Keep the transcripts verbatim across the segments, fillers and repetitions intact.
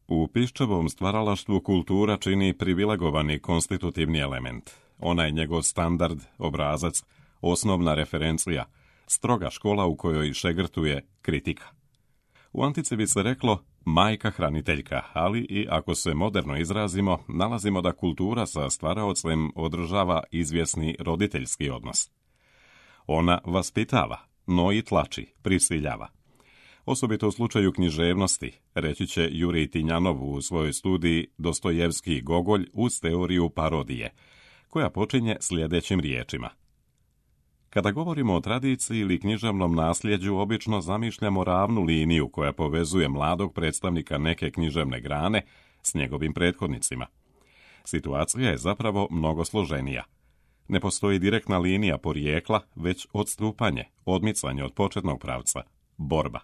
U Piščevom stvaralaštvu kultura čini privilegovani konstitutivni element. Ona je njegov standard, obrazac, osnovna referencija, stroga škola u kojoj šegrtuje kritika. U antici bi se reklo majka hraniteljka, ali i ako se moderno izrazimo, nalazimo da kultura sa stvaraocem održava izvjesni roditeljski odnos. Ona vaspitava, no i tlači, prisiljava. Osobito u slučaju književnosti, reći će Jurij Tinjanov u svojoj studiji Dostojevski i Gogolj uz teoriju parodije, koja počinje sljedećim riječima. Kada govorimo o tradiciji ili književnom nasljeđu, obično zamišljamo ravnu liniju koja povezuje mladog predstavnika neke književne grane s njegovim prethodnicima. Situacija je zapravo mnogo složenija. Ne postoji direktna linija porijekla, već odstupanje, odmicanje od početnog pravca, borba.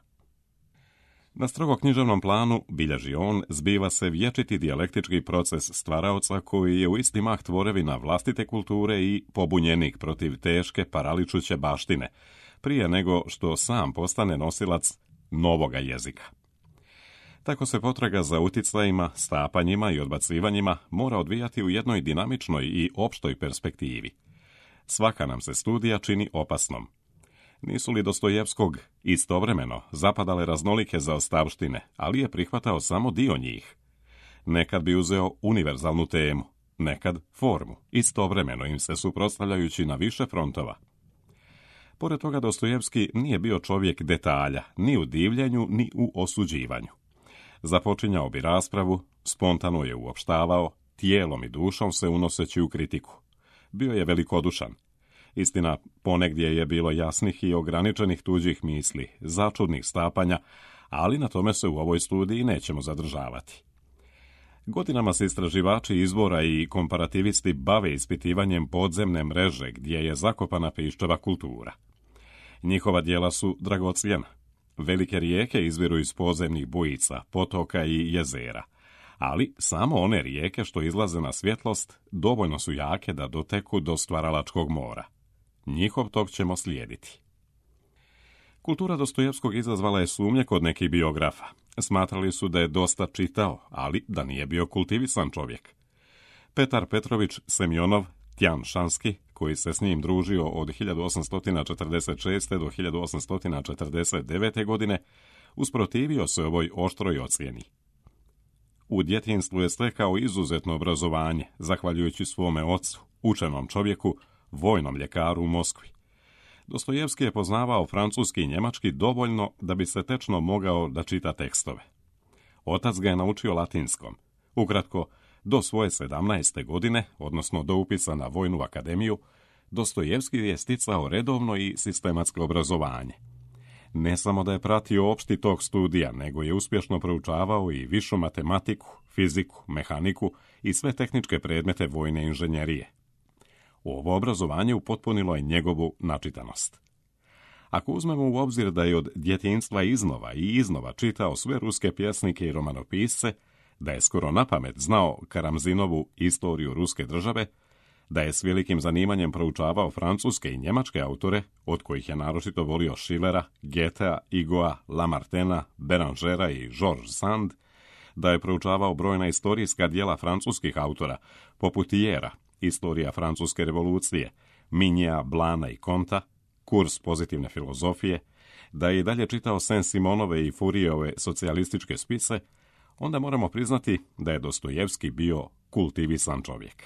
Na strogo književnom planu, bilježi on, zbiva se vječiti dijalektički proces stvaraoca koji je u isti mah tvorevina vlastite kulture i pobunjenik protiv teške paraličuće baštine, prije nego što sam postane nosilac novoga jezika. Tako se potraga za uticajima, stapanjima i odbacivanjima mora odvijati u jednoj dinamičnoj i opštoj perspektivi. Svaka nam se studija čini opasnom. Nisu li Dostojevskog istovremeno zapadale raznolike zaostavštine, ali je prihvatao samo dio njih? Nekad bi uzeo univerzalnu temu, nekad formu, istovremeno im se suprotstavljajući na više frontova. Pored toga, Dostojevski nije bio čovjek detalja, ni u divljenju, ni u osuđivanju. Započinjao bi raspravu, spontano je uopštavao, tijelom i dušom se unoseći u kritiku. Bio je velikodušan. Istina, ponegdje je bilo jasnih i ograničenih tuđih misli, začudnih stapanja, ali na tome se u ovoj studiji nećemo zadržavati. Godinama se istraživači izvora i komparativisti bave ispitivanjem podzemne mreže gdje je zakopana Piščeva kultura. Njihova djela su dragocjena. Velike rijeke izviru iz podzemnih bujica, potoka i jezera, ali samo one rijeke što izlaze na svjetlost dovoljno su jake da doteku do stvaralačkog mora. Njihov tok ćemo slijediti. Kultura Dostojevskog izazvala je sumnje kod nekih biografa. Smatrali su da je dosta čitao, ali da nije bio kultivisan čovjek. Petar Petrović Semjonov Tjan-Šanski, koji se s njim družio od hiljadu osamsto četrdeset šeste. do hiljadu osamsto četrdeset devete. godine, usprotivio se ovoj oštroj ocjeni. U djetinjstvu je stekao izuzetno obrazovanje, zahvaljujući svome ocu, učenom čovjeku, vojnom ljekaru u Moskvi. Dostojevski je poznavao francuski i njemački dovoljno da bi se tečno mogao da čita tekstove. Otac ga je naučio latinskom. Ukratko, do svoje sedamnaeste godine, odnosno do upisa na Vojnu akademiju, Dostojevski je sticao redovno i sistematsko obrazovanje. Ne samo da je pratio opšti tok studija, nego je uspješno proučavao i višu matematiku, fiziku, mehaniku i sve tehničke predmete vojne inženjerije. Ovo obrazovanje upotpunilo je njegovu načitanost. Ako uzmemo u obzir da je od djetinjstva iznova i iznova čitao sve ruske pjesnike i romanopisce, da je skoro napamet znao Karamzinovu Istoriju ruske države, da je s velikim zanimanjem proučavao francuske i njemačke autore, od kojih je naročito volio Schillera, Goethea, Hugoa, Lamartena, Berangera i Georges Sand, da je proučavao brojna istorijska djela francuskih autora, poput Jera, Istorija francuske revolucije, Minjea, Blana i Konta, Kurs pozitivne filozofije, da je i dalje čitao Saint-Simonove i Fourieove socijalističke spise, onda moramo priznati da je Dostojevski bio kultivisan čovjek.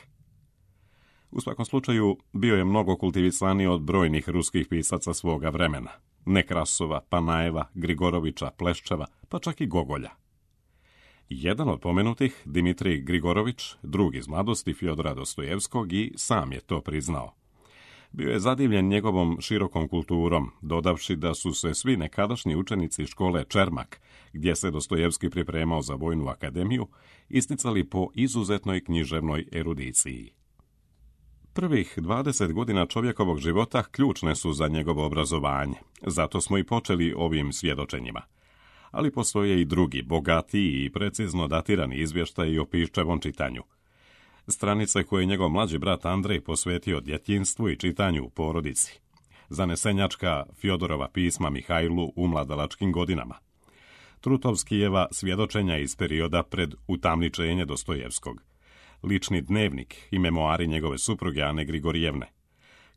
U svakom slučaju, bio je mnogo kultivisaniji od brojnih ruskih pisaca svoga vremena, Nekrasova, Panajeva, Grigorovića, Pleščeva, pa čak i Gogolja. Jedan od pomenutih, Dimitrij Grigorović, drug iz mladosti Fjodora Dostojevskog, i sam je to priznao. Bio je zadivljen njegovom širokom kulturom, dodavši da su se svi nekadašnji učenici škole Čermak, gdje se Dostojevski pripremao za Vojnu akademiju, isticali po izuzetnoj književnoj erudiciji. Prvih dvadeset godina čovjekovog života ključne su za njegovo obrazovanje, zato smo i počeli ovim svjedočenjima. Ali postoje i drugi, bogatiji i precizno datirani izvještaji o Piščevom čitanju. Stranice koje je njegov mlađi brat Andrej posvetio djetinjstvu i čitanju u porodici. Zanesenjačka Fjodorova pisma Mihajlu u mladalačkim godinama. Trutovskijeva svjedočenja iz perioda pred utamničenje Dostojevskog, lični dnevnik i memoari njegove supruge Ane Grigorijevne,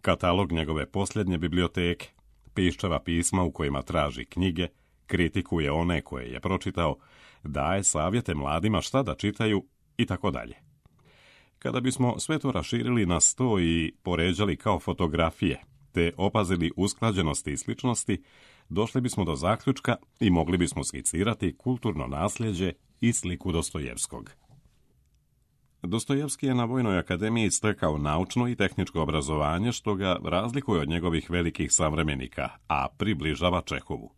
katalog njegove posljednje biblioteke, piščava pisma u kojima traži knjige, kritikuje one koje je pročitao, daje savjete mladima šta da čitaju i tako dalje. Kada bismo sve to raširili na sto i poređali kao fotografije, te opazili usklađenosti i sličnosti, došli bismo do zaključka i mogli bismo skicirati kulturno nasljeđe i sliku Dostojevskog. Dostojevski je na Vojnoj akademiji stekao naučno i tehničko obrazovanje, što ga razlikuje od njegovih velikih savremenika, a približava Čehovu.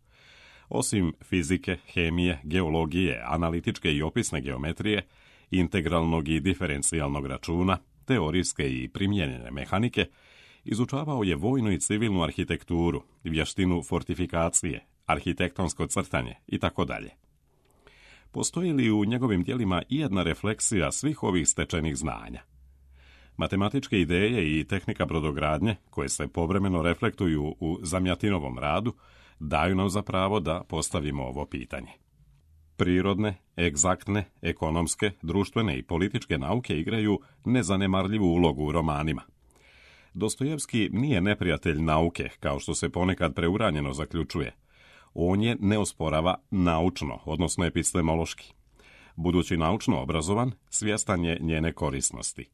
Osim fizike, hemije, geologije, analitičke i opisne geometrije, integralnog i diferencijalnog računa, teorijske i primijenjene mehanike, izučavao je vojnu i civilnu arhitekturu, vještinu fortifikacije, arhitektonsko crtanje i tako dalje. Postoji li u njegovim djelima i jedna refleksija svih ovih stečenih znanja? Matematičke ideje i tehnika brodogradnje, koje se povremeno reflektuju u Zamjatinovom radu, daju nam za pravo da postavimo ovo pitanje. Prirodne, egzaktne, ekonomske, društvene i političke nauke igraju nezanemarljivu ulogu u romanima. Dostojevski nije neprijatelj nauke, kao što se ponekad preuranjeno zaključuje. On je ne osporava naučno, odnosno epistemološki. Budući naučno obrazovan, svjestan je njene korisnosti.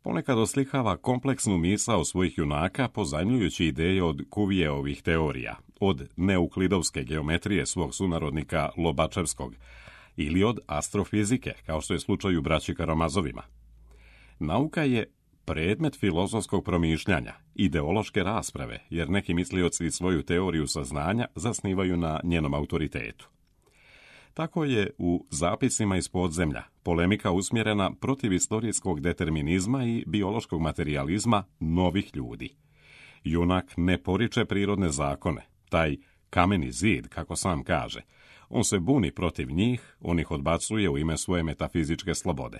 Ponekad oslikava kompleksnu misao svojih junaka, pozajmljujući ideje od Cuvijeovih teorija, od neuklidovske geometrije svog sunarodnika Lobačevskog ili od astrofizike, kao što je slučaj u braći Karamazovima. Nauka je predmet filozofskog promišljanja, ideološke rasprave, jer neki mislioci svoju teoriju saznanja zasnivaju na njenom autoritetu. Tako je u Zapisima iz podzemlja polemika usmjerena protiv istorijskog determinizma i biološkog materijalizma novih ljudi. Junak ne poriče prirodne zakone, taj kameni zid, kako sam kaže. On se buni protiv njih, on ih odbacuje u ime svoje metafizičke slobode.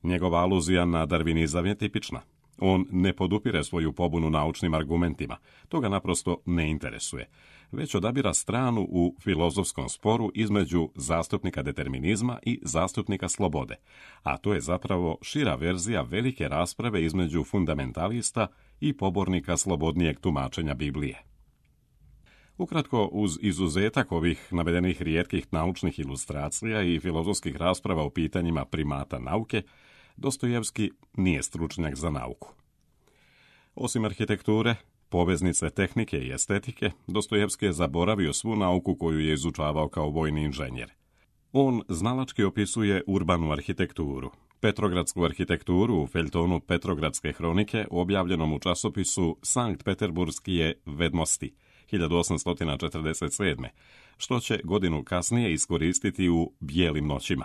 Njegova aluzija na darvinizam je tipična. On ne podupire svoju pobunu naučnim argumentima, to ga naprosto ne interesuje, već odabira stranu u filozofskom sporu između zastupnika determinizma i zastupnika slobode, a to je zapravo šira verzija velike rasprave između fundamentalista i pobornika slobodnijeg tumačenja Biblije. Ukratko, uz izuzetak ovih navedenih rijetkih naučnih ilustracija i filozofskih rasprava o pitanjima primata nauke, Dostojevski nije stručnjak za nauku. Osim arhitekture, poveznice tehnike i estetike, Dostojevski je zaboravio svu nauku koju je izučavao kao vojni inženjer. On znalački opisuje urbanu arhitekturu, petrogradsku arhitekturu u feljtonu Petrogradske hronike, objavljenom u časopisu Sankt Peterburskije vedmosti hiljadu osamsto četrdeset sedme, što će godinu kasnije iskoristiti u Bijelim noćima.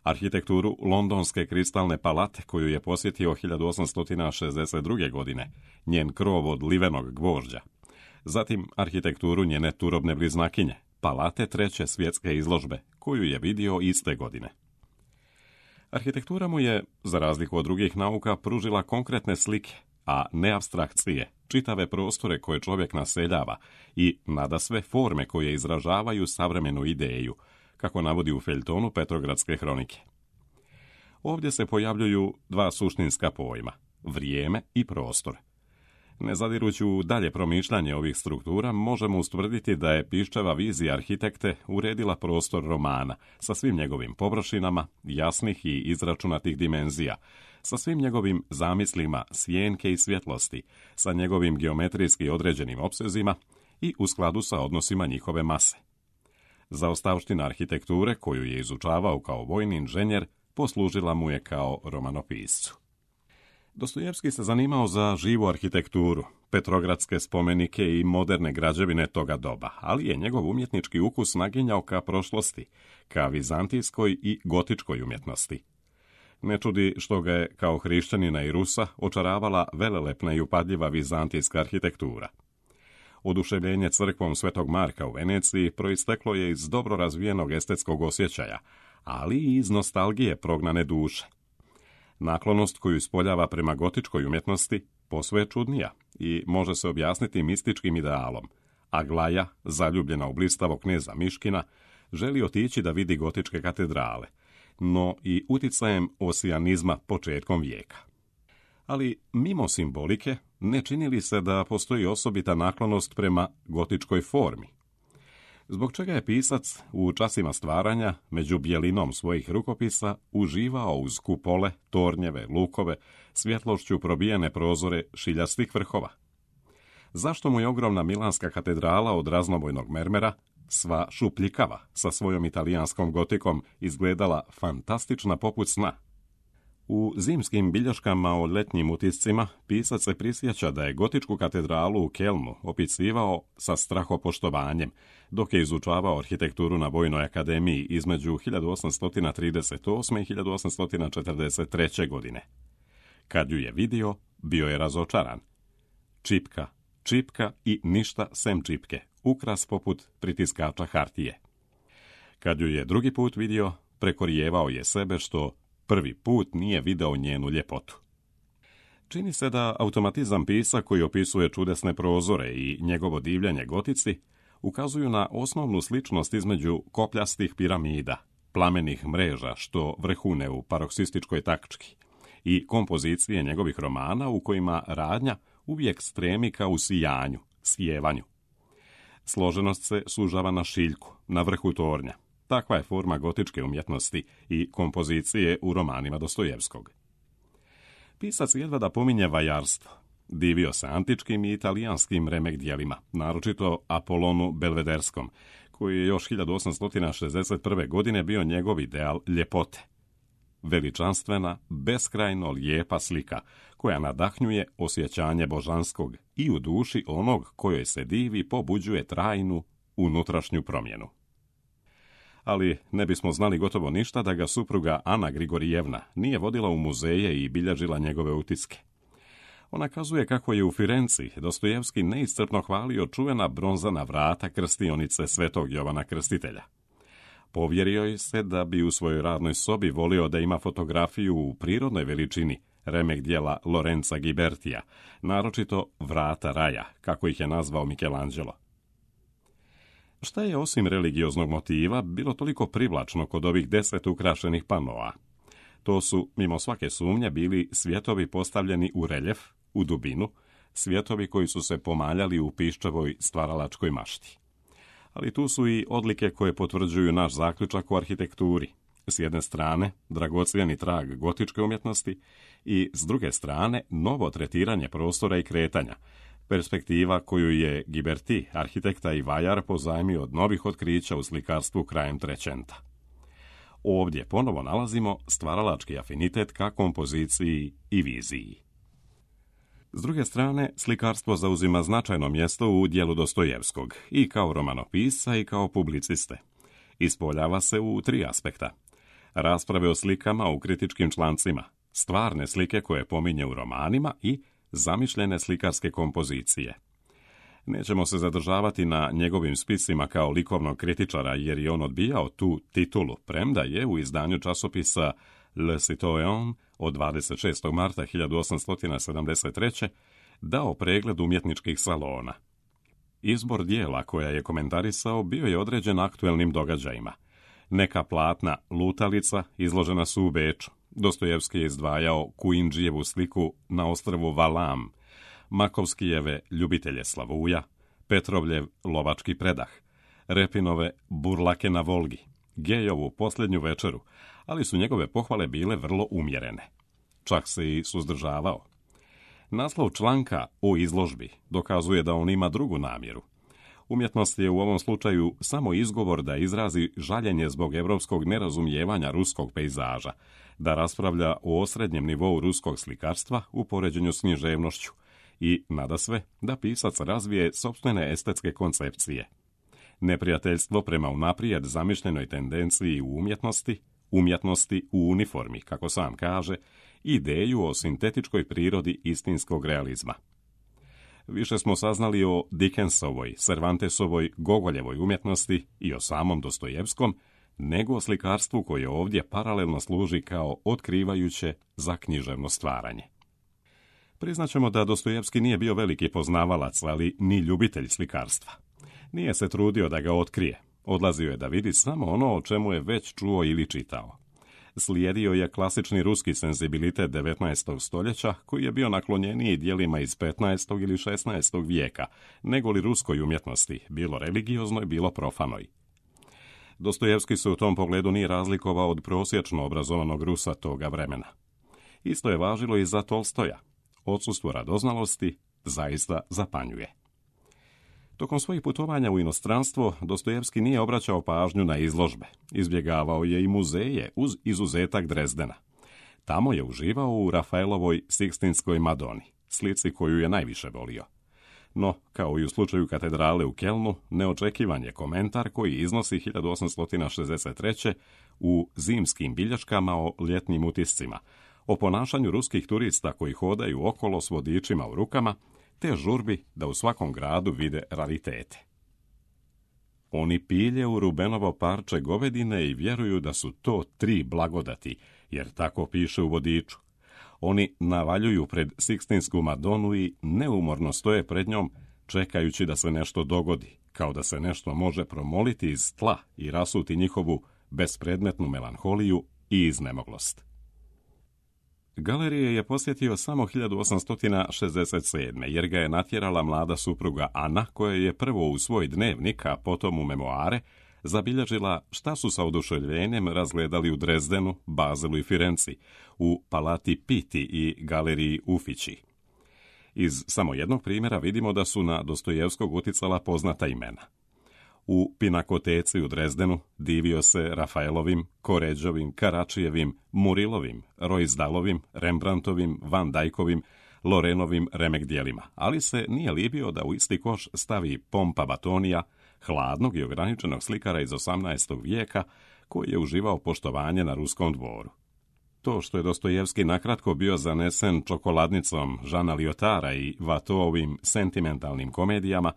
Arhitekturu Londonske kristalne palate, koju je posjetio hiljadu osamsto šezdeset druge. godine, njen krov od livenog gvožđa. Zatim arhitekturu njene turobne bliznakinje, palate treće svjetske izložbe, koju je vidio iste godine. Arhitektura mu je, za razliku od drugih nauka, pružila konkretne slike, a ne apstrakcije, čitave prostore koje čovjek naseljava i nadasve forme koje izražavaju savremenu ideju, kako navodi u feljtonu Petrogradske hronike. Ovdje se pojavljuju dva suštinska pojma, vrijeme i prostor. Ne zadirući u dalje promišljanje ovih struktura, možemo ustvrditi da je Piščeva vizija arhitekte uredila prostor romana sa svim njegovim površinama, jasnih i izračunatih dimenzija, sa svim njegovim zamislima sjenke i svjetlosti, sa njegovim geometrijski određenim opsezima i u skladu sa odnosima njihove mase. Zaostavština arhitekture, koju je izučavao kao vojni inženjer, poslužila mu je kao romanopiscu. Dostojevski se zanimao za živu arhitekturu, petrogradske spomenike i moderne građevine toga doba, ali je njegov umjetnički ukus naginjao ka prošlosti, ka vizantijskoj i gotičkoj umjetnosti. Ne čudi što ga je, kao hrišćanina i Rusa, očaravala velelepna i upadljiva vizantijska arhitektura. Oduševljenje crkvom Svetog Marka u Veneciji proisteklo je iz dobro razvijenog estetskog osjećaja, ali i iz nostalgije prognane duše. Naklonost koju ispoljava prema gotičkoj umjetnosti posve je čudnija i može se objasniti mističkim idealom. Aglaja, zaljubljena u blistavog kneza Miškina, želi otići da vidi gotičke katedrale, no i uticajem osijanizma početkom vijeka. Ali mimo simbolike, ne čini li se da postoji osobita naklonost prema gotičkoj formi? Zbog čega je pisac u časima stvaranja, među bijelinom svojih rukopisa, uživao uz kupole, tornjeve, lukove, svjetlošću probijene prozore šiljastih vrhova? Zašto mu je ogromna milanska katedrala od raznobojnog mermera, sva šupljikava, sa svojom italijanskom gotikom, izgledala fantastična poput sna? U zimskim bilješkama o ljetnim utiscima pisac se prisjeća da je gotičku katedralu u Kelnu opisivao sa strahopoštovanjem, dok je izučavao arhitekturu na Vojnoj akademiji između hiljadu osamsto trideset osme. i hiljadu osamsto četrdeset treće. godine. Kad ju je vidio, bio je razočaran. Čipka, čipka i ništa sem čipke, ukras poput pritiskača hartije. Kad ju je drugi put vidio, prekorijevao je sebe što prvi put nije video njenu ljepotu. Čini se da automatizam pisa koji opisuje čudesne prozore i njegovo divljanje gotici ukazuju na osnovnu sličnost između kopljastih piramida, plamenih mreža što vrhune u paroksističkoj tački i kompozicije njegovih romana u kojima radnja uvijek stremi ka usijanju, sjevanju. Složenost se sužava na šiljku, na vrhu tornja. Takva je forma gotičke umjetnosti i kompozicije u romanima Dostojevskog. Pisac jedva da pominje vajarstvo. Divio se antičkim i italijanskim remek djelima, naročito Apolonu Belvederskom, koji je još hiljadu osamsto šezdeset prve. godine bio njegov ideal ljepote. Veličanstvena, beskrajno lijepa slika, koja nadahnjuje osjećanje božanskog i u duši onog kojoj se divi pobuđuje trajnu unutrašnju promjenu. Ali ne bismo znali gotovo ništa da ga supruga Ana Grigorijevna nije vodila u muzeje i bilježila njegove utiske. Ona kazuje kako je u Firenci Dostojevski neiscrpno hvalio čuvena bronzana vrata krstionice Svetog Jovana Krstitelja. Povjerio je se da bi u svojoj radnoj sobi volio da ima fotografiju u prirodnoj veličini remek djela Lorenza Ghibertija, naročito Vrata raja, kako ih je nazvao Michelangelo. Šta je osim religioznog motiva bilo toliko privlačno kod ovih deset ukrašenih panoa? To su, mimo svake sumnje, bili svjetovi postavljeni u reljef, u dubinu, svjetovi koji su se pomaljali u piščevoj stvaralačkoj mašti. Ali tu su i odlike koje potvrđuju naš zaključak o arhitekturi. S jedne strane, dragocjeni trag gotičke umjetnosti i, s druge strane, novo tretiranje prostora i kretanja, perspektiva koju je Ghiberti, arhitekta i vajar, pozajmio od novih otkrića u slikarstvu krajem Trećenta. Ovdje ponovo nalazimo stvaralački afinitet ka kompoziciji i viziji. S druge strane, slikarstvo zauzima značajno mjesto u djelu Dostojevskog, i kao romanopisca i kao publiciste. Ispoljava se u tri aspekta. Rasprave o slikama u kritičkim člancima, stvarne slike koje pominje u romanima i zamišljene slikarske kompozicije. Nećemo se zadržavati na njegovim spisima kao likovnog kritičara, jer je on odbijao tu titulu, premda je u izdanju časopisa Le Citoyen od dvadeset šestog marta hiljadu osamsto sedamdeset treće. dao pregled umjetničkih salona. Izbor dijela koja je komentarisao bio je određen aktuelnim događajima. Neka platna lutalica izložena su u Beču. Dostojevski je izdvajao Kuindžijevu sliku na ostrvu Valam, Makovskijeve ljubitelje Slavuja, Petrovljev lovački predah, Repinove Burlake na Volgi, Gejovu posljednju večeru, ali su njegove pohvale bile vrlo umjerene. Čak se i suzdržavao. Naslov članka o izložbi dokazuje da on ima drugu namjeru. Umjetnost je u ovom slučaju samo izgovor da izrazi žaljenje zbog europskog nerazumijevanja ruskog pejzaža, da raspravlja o osrednjem nivou ruskog slikarstva u poređenju s književnošću i, nadasve, da pisac razvije sopstvene estetske koncepcije. Neprijateljstvo prema unaprijed zamišljenoj tendenciji u umjetnosti, umjetnosti u uniformi, kako sam kaže, ideju o sintetičkoj prirodi istinskog realizma. Više smo saznali o Dickensovoj, Cervantesovoj, Gogoljevoj umjetnosti i o samom Dostojevskom, nego o slikarstvu koje ovdje paralelno služi kao otkrivajuće za književno stvaranje. Priznaćemo da Dostojevski nije bio veliki poznavalac, ali ni ljubitelj slikarstva. Nije se trudio da ga otkrije. Odlazio je da vidi samo ono o čemu je već čuo ili čitao. Slijedio je klasični ruski senzibilitet devetnaestog stoljeća, koji je bio naklonjeniji dijelima iz petnaestog ili šesnaestog vijeka, nego li ruskoj umjetnosti, bilo religioznoj, bilo profanoj. Dostojevski se u tom pogledu nije razlikovao od prosječno obrazovanog Rusa toga vremena. Isto je važilo i za Tolstoja. Odsustvo radoznalosti zaista zapanjuje. Tokom svojih putovanja u inostranstvo, Dostojevski nije obraćao pažnju na izložbe. Izbjegavao je i muzeje, uz izuzetak Drezdena. Tamo je uživao u Rafaelovoj Sikstinskoj Madoni, slici koju je najviše volio. No, kao i u slučaju katedrale u Kelnu, neočekivan je komentar koji iznosi hiljadu osamsto šezdeset treće u zimskim bilješkama o ljetnim utiscima, o ponašanju ruskih turista koji hodaju okolo s vodičima u rukama, te žurbi da u svakom gradu vide raritete. Oni pilje u Rubenovo parče govedine i vjeruju da su to tri blagodati, jer tako piše u vodiču. Oni navaljuju pred Sikstinsku Madonu i neumorno stoje pred njom, čekajući da se nešto dogodi, kao da se nešto može promoliti iz tla i rasuti njihovu bespredmetnu melanholiju i iznemoglost. Galerije je posjetio samo hiljadu osamsto šezdeset sedme. jer ga je natjerala mlada supruga Ana, koja je prvo u svoj dnevnik, a potom u memoare, zabilježila šta su sa oduševljenjem razgledali u Drezdenu, Bazelu i Firenci, u Palati Pitti i Galeriji Uffizi. Iz samo jednog primjera vidimo da su na Dostojevskog uticala poznata imena. U Pinakoteci u Drezdenu divio se Rafaelovim, Koređovim, Karačijevim, Murilovim, Roizdalovim, Rembrandtovim, Van Dijkovim, Lorenovim remek dijelima, ali se nije libio da u isti koš stavi Pompa Batonija, hladnog i ograničenog slikara iz osamnaestog vijeka, koji je uživao poštovanje na ruskom dvoru. To što je Dostojevski nakratko bio zanesen čokoladnicom Žana Liotara i Vatoovim sentimentalnim komedijama,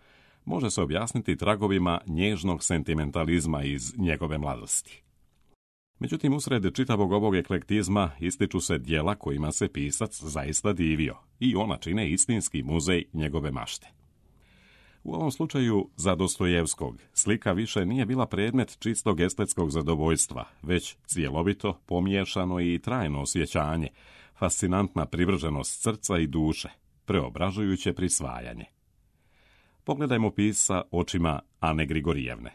može se objasniti tragovima nježnog sentimentalizma iz njegove mladosti. Međutim, usred čitavog ovog eklektizma ističu se djela kojima se pisac zaista divio i ona čine istinski muzej njegove mašte. U ovom slučaju za Dostojevskog slika više nije bila predmet čistog estetskog zadovoljstva, već cjelovito, pomiješano i trajno osjećanje, fascinantna privrženost srca i duše, preobražujuće prisvajanje. Pogledajmo pisca očima Ane Grigorijevne.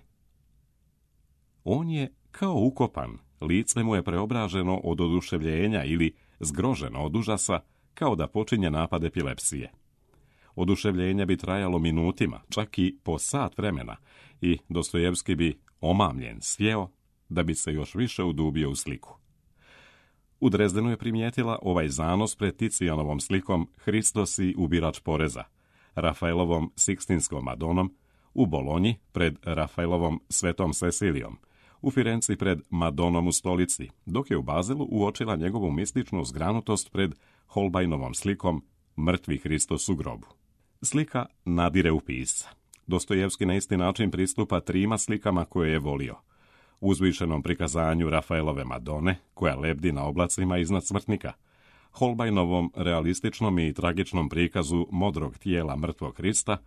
On je kao ukopan, lice mu je preobraženo od oduševljenja ili zgroženo od užasa, kao da počinje napad epilepsije. Oduševljenje bi trajalo minutima, čak i po sat vremena, i Dostojevski bi, omamljen, sjeo, da bi se još više udubio u sliku. U Drezdenu je primijetila ovaj zanos pred Ticijanovom slikom Hristos i ubirač poreza, Rafaelovom Sikstinskom Madonom, u Bolonji pred Rafaelovom Svetom Cecilijom, u Firenci pred Madonom u stolici, dok je u Bazelu uočila njegovu mističnu zgranutost pred Holbeinovom slikom Mrtvi Hristos u grobu. Slika nadire u pisca. Dostojevski na isti način pristupa trima slikama koje je volio. Uzvišenom prikazanju Rafaelove Madone, koja lebdi na oblacima iznad smrtnika, Holbeinovom realističnom i tragičnom prikazu modrog tijela mrtvog Hrista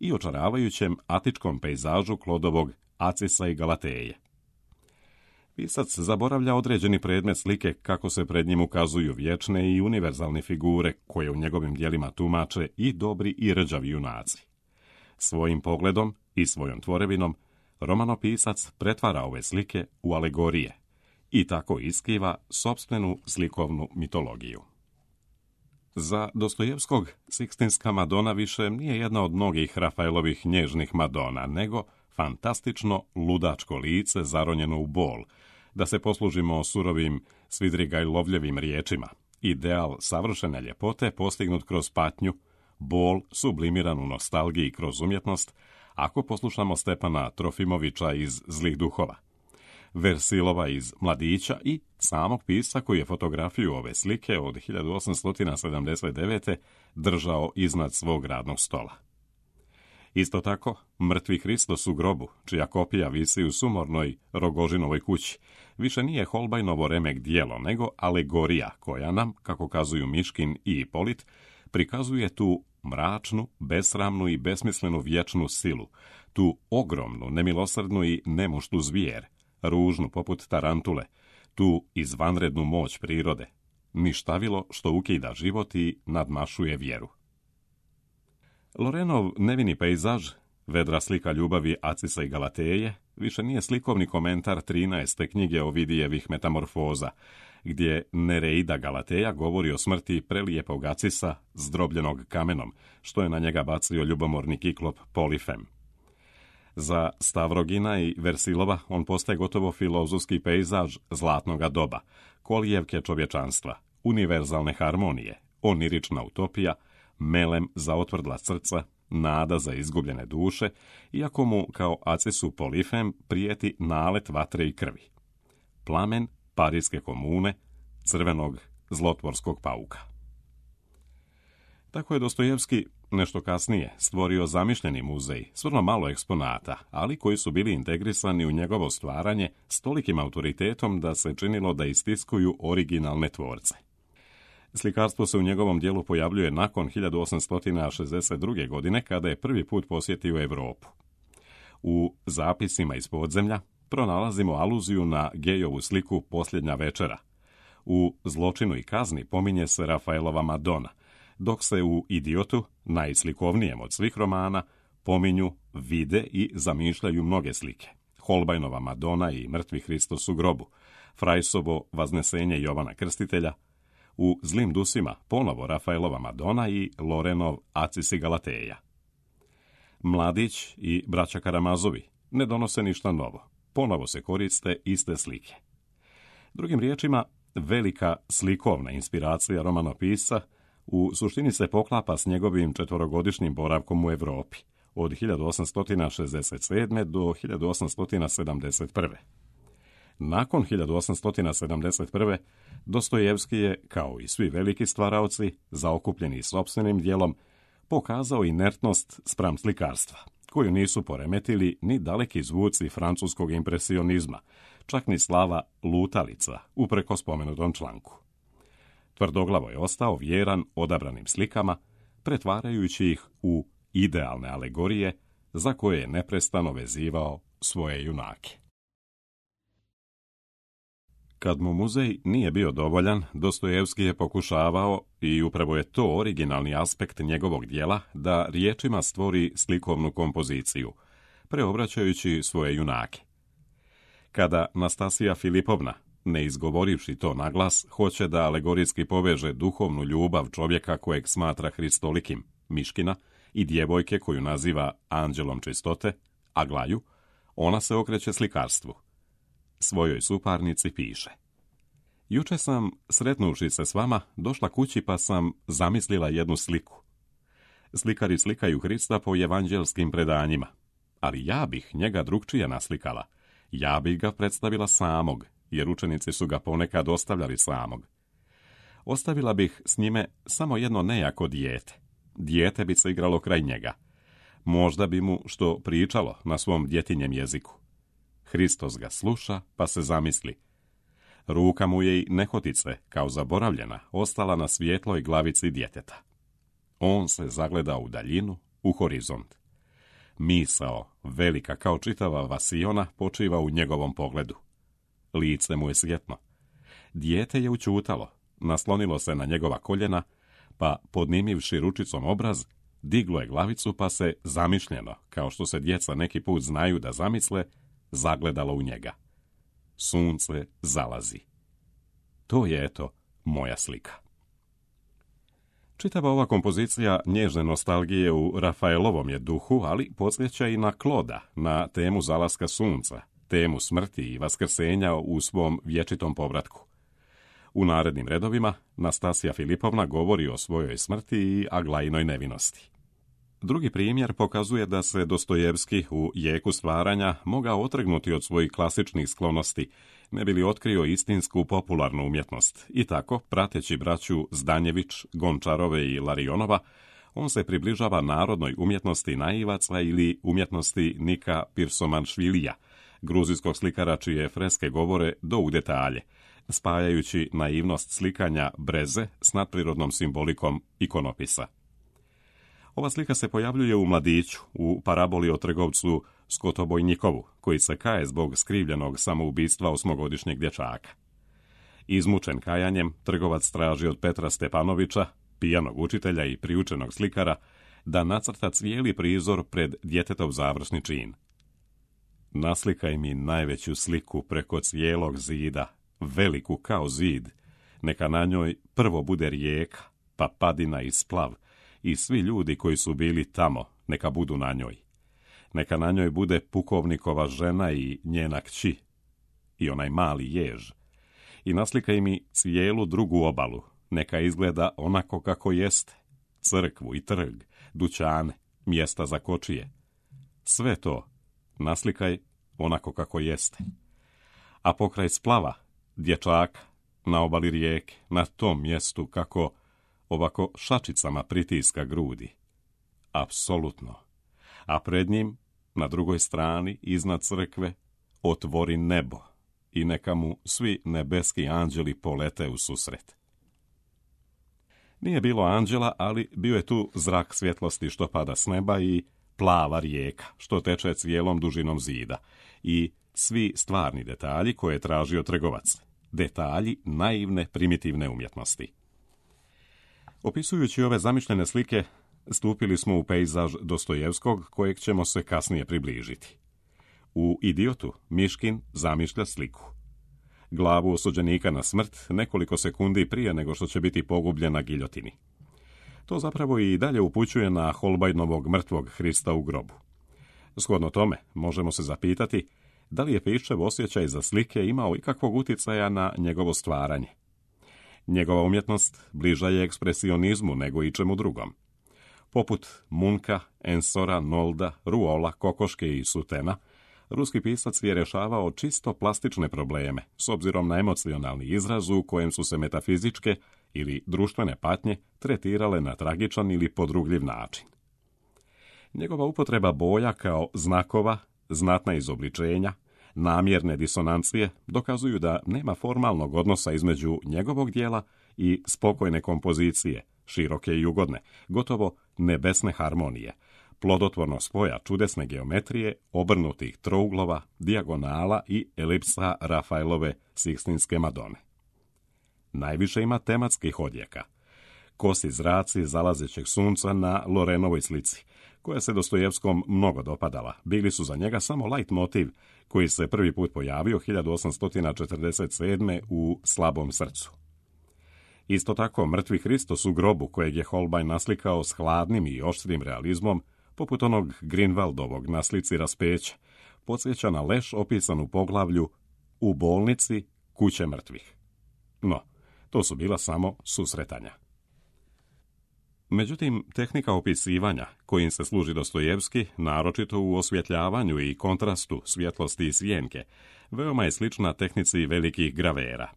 i očaravajućem atičkom pejzažu Klodovog Acisa i Galateje. Pisac zaboravlja određeni predmet slike kako se pred njim ukazuju vječne i univerzalne figure koje u njegovim djelima tumače i dobri i rđavi junaci. Svojim pogledom i svojom tvorevinom romanopisac pretvara ove slike u alegorije i tako iskiva sopstvenu slikovnu mitologiju. Za Dostojevskog Sikstinska Madona više nije jedna od mnogih Rafaelovih nježnih Madona, nego fantastično ludačko lice zaronjeno u bol, da se poslužimo surovim Svidrigajlovljevim riječima. Ideal savršene ljepote postignut kroz patnju, bol sublimiran u nostalgiji kroz umjetnost, ako poslušamo Stepana Trofimovića iz Zlih duhova, Versilova iz Mladića i samog pisca koji je fotografiju ove slike od hiljadu osamsto sedamdeset devete. držao iznad svog radnog stola. Isto tako, Mrtvi Hristos u grobu, čija kopija visi u sumornoj Rogožinovoj kući, više nije Holbeinovo remek djelo, nego alegorija koja nam, kako kazuju Miškin i Ipolit, prikazuje tu mračnu, besramnu i besmislenu vječnu silu, tu ogromnu, nemilosrdnu i nemuštu zvijer, ružnu poput tarantule, tu izvanrednu moć prirode, ništavilo što ukida život i nadmašuje vjeru. Lorenov nevini pejzaž, vedra slika ljubavi Acisa i Galateje, više nije slikovni komentar trinaeste knjige Ovidijevih metamorfoza, gdje Nereida Galateja govori o smrti prelijepog Acisa zdrobljenog kamenom, što je na njega bacio ljubomorni kiklop Polifem. Za Stavrogina i Versilova on postaje gotovo filozofski pejzaž zlatnoga doba, kolijevke čovječanstva, univerzalne harmonije, onirična utopija, melem za otvrdla srca, nada za izgubljene duše, iako mu kao Acisu Polifem prijeti nalet vatre i krvi. Plamen Parijske komune, crvenog zlotvorskog pauka. Tako je Dostojevski nešto kasnije stvorio zamišljeni muzej s vrlo malo eksponata, ali koji su bili integrisani u njegovo stvaranje s tolikim autoritetom da se činilo da istiskuju originalne tvorce. Slikarstvo se u njegovom dijelu pojavljuje nakon hiljadu osamsto šezdeset druge. godine, kada je prvi put posjetio Europu. U zapisima iz podzemlja pronalazimo aluziju na Gejovu sliku Posljednja večera. U Zločinu i kazni pominje se Rafaelova Madona, dok se u Idiotu, najslikovnijem od svih romana, pominju, vide i zamišljaju mnoge slike. Holbajnova Madona i Mrtvi Hristos u grobu, Frajsovo Vaznesenje Jovana Krstitelja, u Zlim dusima ponovo Rafaelova Madona i Lorenov Acis i Galateja. Mladić i braća Karamazovi ne donose ništa novo, ponovo se koriste iste slike. Drugim riječima, velika slikovna inspiracija romanopisca u suštini se poklapa s njegovim četvorogodišnjim boravkom u Europi, od hiljadu osamsto šezdeset sedme. do hiljadu osamsto sedamdeset prve. Nakon hiljadu osamsto sedamdeset prve. Dostojevski je, kao i svi veliki stvaraoci, zaokupljeni sopstvenim djelom, pokazao inertnost spram slikarstva, koju nisu poremetili ni daleki zvuci francuskog impresionizma, čak ni slava lutalica, upreko spomenutom članku. Tvrdoglavo je ostao vjeran odabranim slikama, pretvarajući ih u idealne alegorije za koje je neprestano vezivao svoje junake. Kad mu muzej nije bio dovoljan, Dostojevski je pokušavao, i upravo je to originalni aspekt njegovog dijela, da riječima stvori slikovnu kompoziciju, preobraćajući svoje junake. Kada Nastasija Filipovna, ne izgovorivši to naglas, hoće da alegorijski poveže duhovnu ljubav čovjeka kojeg smatra hristolikim, Miškina, i djevojke koju naziva anđelom čistote, Aglaju, ona se okreće slikarstvu. Svojoj suparnici piše: Juče sam, sretnuvši se s vama, došla kući pa sam zamislila jednu sliku. Slikari slikaju Hrista po evanđelskim predanjima, ali ja bih njega drugčije naslikala. Ja bih ga predstavila samog, jer učenici su ga ponekad ostavljali samog. Ostavila bih s njime samo jedno nejako dijete. Dijete bi se igralo kraj njega. Možda bi mu što pričalo na svom djetinjem jeziku. Hristos ga sluša, pa se zamisli. Ruka mu je i nehotice, kao zaboravljena, ostala na svijetloj glavici djeteta. On se zagleda u daljinu, u horizont. Misao, velika kao čitava vasiona, počiva u njegovom pogledu. Lice mu je svjetlo. Dijete je učutalo, naslonilo se na njegova koljena, pa podnimivši ručicom obraz, diglo je glavicu pa se zamišljeno, kao što se djeca neki put znaju da zamisle, zagledalo u njega. Sunce zalazi. To je, eto, moja slika. Čitava ova kompozicija nježne nostalgije u Rafaelovom je duhu, ali podsjeća i na Kloda, na temu zalaska sunca, temu smrti i vaskrsenja u svom vječitom povratku. U narednim redovima Nastasija Filipovna govori o svojoj smrti i Aglajinoj nevinosti. Drugi primjer pokazuje da se Dostojevski u jeku stvaranja mogao otrgnuti od svojih klasičnih sklonosti, ne bi li otkrio istinsku popularnu umjetnost. I tako, prateći braću Zdanjević, Gončarove i Larionova, on se približava narodnoj umjetnosti naivaca ili umjetnosti Nika Pirsomanšvilija, gruzijskog slikara čije freske govore do u detalje, spajajući naivnost slikanja breze s nadprirodnom simbolikom ikonopisa. Ova slika se pojavljuje u Mladiću, u paraboli o trgovcu Skotobojnikovu, koji se kaje zbog skrivljenog samoubistva osmogodišnjeg dječaka. Izmučen kajanjem, trgovac traži od Petra Stepanovića, pijanog učitelja i priučenog slikara, da nacrta cijeli prizor pred djetetov završni čin. Naslikaj mi najveću sliku preko cijelog zida, veliku kao zid, neka na njoj prvo bude rijeka, pa padina i splav, i svi ljudi koji su bili tamo, neka budu na njoj. Neka na njoj bude pukovnikova žena i njena kći, i onaj mali jež. I naslikaj mi cijelu drugu obalu, neka izgleda onako kako jeste, crkvu i trg, dućane, mjesta za kočije. Sve to naslikaj onako kako jeste. A pokraj splava, dječaka, na obali rijeke, na tom mjestu kako ovako šačicama pritiska grudi. Apsolutno. A pred njim, na drugoj strani, iznad crkve, otvori nebo i neka mu svi nebeski anđeli polete u susret. Nije bilo anđela, ali bio je tu zrak svjetlosti što pada s neba i plava rijeka što teče cijelom dužinom zida i svi stvarni detalji koje je tražio trgovac. Detalji naivne primitivne umjetnosti. Opisujući ove zamišljene slike, stupili smo u pejzaž Dostojevskog, kojeg ćemo se kasnije približiti. U Idiotu Miškin zamišlja sliku. Glavu osuđenika na smrt nekoliko sekundi prije nego što će biti pogubljen na giljotini. To zapravo i dalje upućuje na Holbajnovog mrtvog Hrista u grobu. Shodno tome, možemo se zapitati da li je Piščev osjećaj za slike imao ikakvog utjecaja na njegovo stvaranje. Njegova umjetnost bliža je ekspresionizmu nego i čemu drugom. Poput Munka, Ensora, Nolda, Ruola, Kokoške i Sutena, ruski pisac je rješavao čisto plastične probleme, s obzirom na emocionalni izraz u kojem su se metafizičke ili društvene patnje tretirale na tragičan ili podrugljiv način. Njegova upotreba boja kao znakova, znatna izobličenja, namjerne disonancije dokazuju da nema formalnog odnosa između njegovog dijela i spokojne kompozicije, široke i ugodne, gotovo nebesne harmonije, plodotvorno spoja čudesne geometrije, obrnutih trouglova, dijagonala i elipsa Rafaelove Sikstinske Madone. Najviše ima tematskih odjeka. Kosi zraci zalazećeg sunca na Lorenovoj slici, koja se Dostojevskom mnogo dopadala, bili su za njega samo light motiv koji se prvi put pojavio hiljadu osamsto četrdeset sedme u Slabom srcu. Isto tako, mrtvi Hristos u grobu, kojeg je Holbein naslikao s hladnim i oštrim realizmom, poput onog Grünwaldovog na slici Raspeća, podsjeća na leš opisan u poglavlju U bolnici kuće mrtvih. No, to su bila samo susretanja. Međutim, tehnika opisivanja, kojim se služi Dostojevski, naročito u osvjetljavanju i kontrastu svjetlosti i sjenke, veoma je slična tehnici velikih gravera.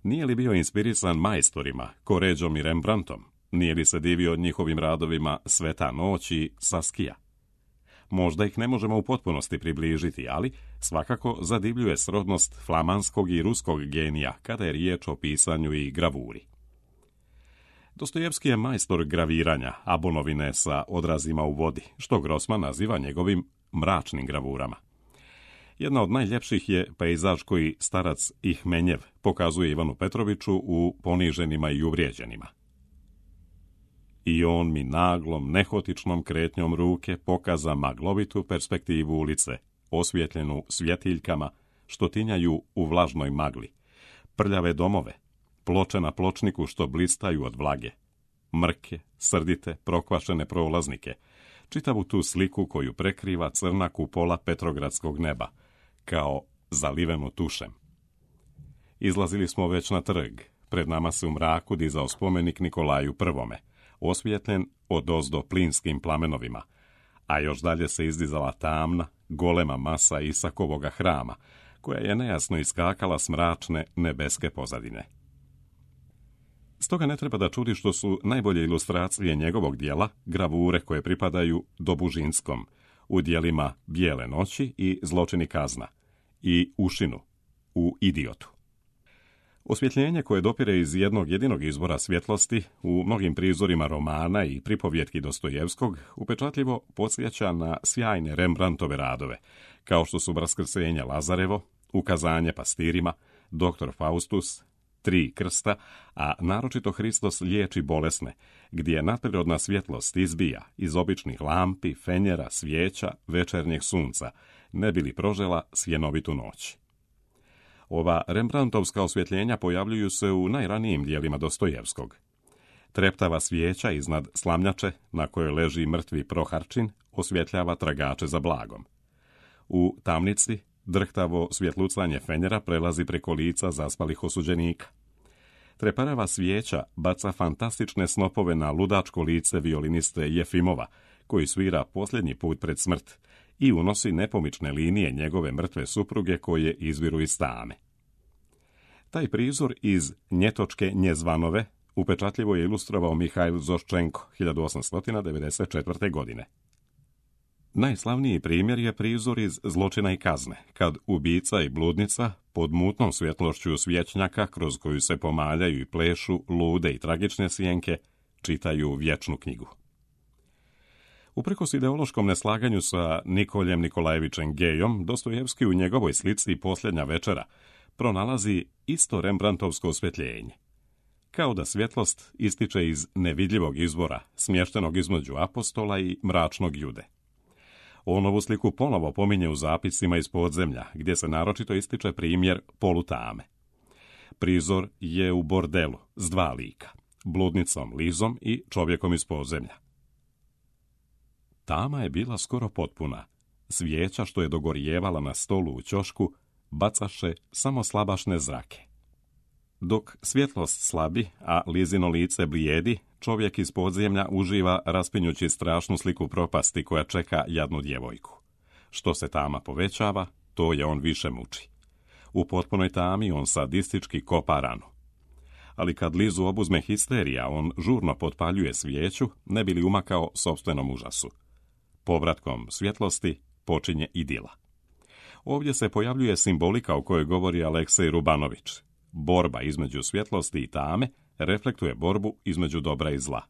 Nije li bio inspirisan majstorima, Correggom i Rembrandtom? Nije li se divio njihovim radovima Sveta noć i Saskija? Možda ih ne možemo u potpunosti približiti, ali svakako zadivljuje srodnost flamanskog i ruskog genija kada je riječ o pisanju i gravuri. Dostojevski je majstor graviranja abonovine sa odrazima u vodi, što Grossman naziva njegovim mračnim gravurama. Jedna od najljepših je pejzaž koji starac Ihmenjev pokazuje Ivanu Petroviću u Poniženima i uvrijeđenima. I on mi naglom, nehotičnom kretnjom ruke pokaza maglovitu perspektivu ulice, osvjetljenu svjetiljkama što tinjaju u vlažnoj magli, prljave domove, ploče na pločniku što blistaju od vlage, mrke, srdite, prokvašene prolaznike, čitavu tu sliku koju prekriva crna kupola petrogradskog neba, kao zalivenu tušem. Izlazili smo već na trg, pred nama se u mraku dizao spomenik Nikolaju Prvome, osvijetljen odozdo plinskim plamenovima, a još dalje se izdizala tamna, golema masa Isakovoga hrama, koja je nejasno iskakala s mračne nebeske pozadine. Stoga ne treba da čudi što su najbolje ilustracije njegovog dijela gravure koje pripadaju Dobužinskom, u dijelima Bijele noći i Zločini kazna, i Ušinu, u Idiotu. Osvjetljenje koje dopire iz jednog jedinog izvora svjetlosti u mnogim prizorima romana i pripovjetki Dostojevskog upečatljivo podsjeća na sjajne Rembrandtove radove, kao što su Vaskrsenje Lazarevo, Ukazanje pastirima, Doktor Faustus, Tri krsta, a naročito Hristos liječi bolesne, gdje nadprirodna svjetlost izbija iz običnih lampi, fenjera, svijeća, večernjeg sunca, ne bi li prožela sjenovitu noć. Ova Rembrandtovska osvjetljenja pojavljuju se u najranijim dijelima Dostojevskog. Treptava svijeća iznad slamnjače, na kojoj leži mrtvi Proharčin, osvjetljava tragače za blagom. U tamnici drhtavo svjetlucanje fenjera prelazi preko lica zaspalih osuđenika. Treparava svijeća baca fantastične snopove na ludačko lice violiniste Jefimova, koji svira posljednji put pred smrt, i unosi nepomične linije njegove mrtve supruge koje izviru iz tame. Taj prizor iz Njetočke Njezvanove upečatljivo je ilustrovao Mihail Zoščenko hiljadu osamsto devedeset četvrte. godine. Najslavniji primjer je prizor iz Zločina i kazne, kad ubica i bludnica pod mutnom svjetlošću svječnjaka kroz koju se pomaljaju i plešu lude i tragične sjenke čitaju vječnu knjigu. Uprkos ideološkom neslaganju sa Nikoljem Nikolajevićem Gejom, Dostojevski u njegovoj slici Posljednja večera pronalazi isto Rembrandtovsko osvjetljenje. Kao da svjetlost ističe iz nevidljivog izvora, smještenog između apostola i mračnog Jude. On ovu sliku ponovo pominje u zapisima iz podzemlja, gdje se naročito ističe primjer polutame. Prizor je u bordelu s dva lika, bludnicom Lizom i čovjekom iz podzemlja. Tama je bila skoro potpuna. Svijeća što je dogorijevala na stolu u ćošku bacaše samo slabašne zrake. Dok svjetlost slabi, a Lizino lice blijedi, čovjek iz podzemlja uživa raspinjući strašnu sliku propasti koja čeka jadnu djevojku. Što se tama povećava, to je on više muči. U potpunoj tami on sadistički kopa ranu. Ali kad Lizu obuzme histerija, on žurno potpaljuje svijeću, ne bi li umakao sopstvenom užasu. Povratkom svjetlosti počinje idila. Ovdje se pojavljuje simbolika o kojoj govori Aleksej Rubanović. Borba između svjetlosti i tame reflektuje borbu između dobra i zla.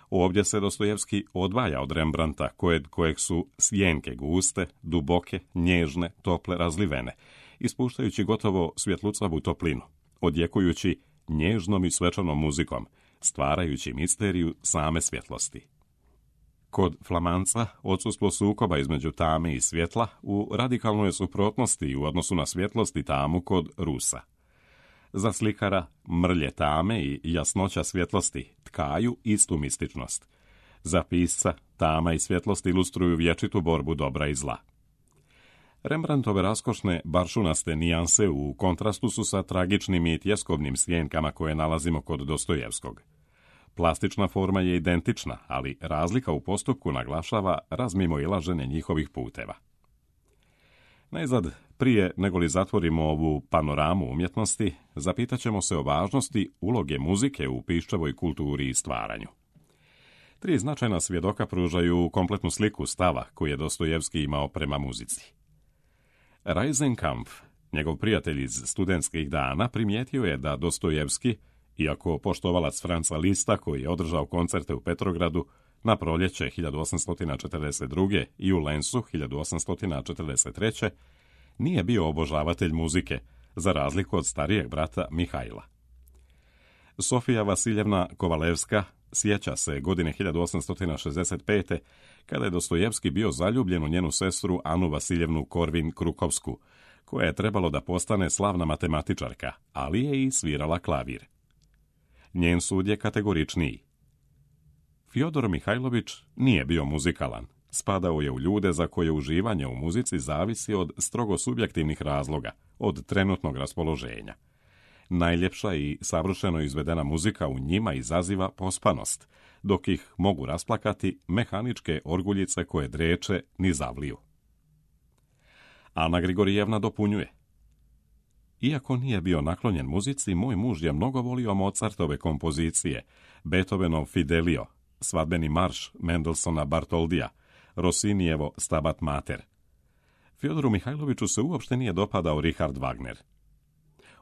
Ovdje se Dostojevski odvaja od Rembrandta, kojeg, kojeg su sjenke guste, duboke, nježne, tople, razlivene, ispuštajući gotovo svjetlucavu toplinu, odjekujući nježnom i svečanom muzikom, stvarajući misteriju same svjetlosti. Kod Flamanca odsustvo sukoba između tame i svjetla u radikalnoj suprotnosti u odnosu na svjetlost i tamu kod Rusa. Za slikara mrlje tame i jasnoća svjetlosti tkaju istu mističnost. Za pisca tama i svjetlost ilustruju vječitu borbu dobra i zla. Rembrandtove raskošne baršunaste nijanse u kontrastu su sa tragičnim i tjeskobnim sjenkama koje nalazimo kod Dostojevskog. Plastična forma je identična, ali razlika u postupku naglašava razmimoilaženje njihovih puteva. Najzad, prije nego li zatvorimo ovu panoramu umjetnosti, zapitat ćemo se o važnosti uloge muzike u piščevoj kulturi i stvaranju. Tri značajna svjedoka pružaju kompletnu sliku stava koji je Dostojevski imao prema muzici. Reisenkampf, njegov prijatelj iz studentskih dana, primijetio je da Dostojevski, iako poštovalac Franca Lista koji je održao koncerte u Petrogradu na proljeće hiljadu osamsto četrdeset druge i u Lensu hiljadu osamsto četrdeset treće, nije bio obožavatelj muzike, za razliku od starijeg brata Mihaila. Sofija Vasiljevna Kovalevska sjeća se godine hiljadu osamsto šezdeset pete kada je Dostojevski bio zaljubljen u njenu sestru Anu Vasiljevnu Korvin-Krukovsku, koja je trebalo da postane slavna matematičarka, ali je i svirala klavir. Njen sud je kategoričniji. Fjodor Mihajlović nije bio muzikalan. Spadao je u ljude za koje uživanje u muzici zavisi od strogo subjektivnih razloga, od trenutnog raspoloženja. Najljepša i savršeno izvedena muzika u njima izaziva pospanost, dok ih mogu rasplakati mehaničke orguljice koje dreče ni zavliju. Ana Grigorijevna dopunjuje. Iako nije bio naklonjen muzici, moj muž je mnogo volio Mozartove kompozicije, Beethovenov Fidelio, Svadbeni marš Mendelsona Bartoldija, Rossinijevo Stabat Mater. Fjodoru Mihajloviću se uopšte nije dopadao Richard Wagner.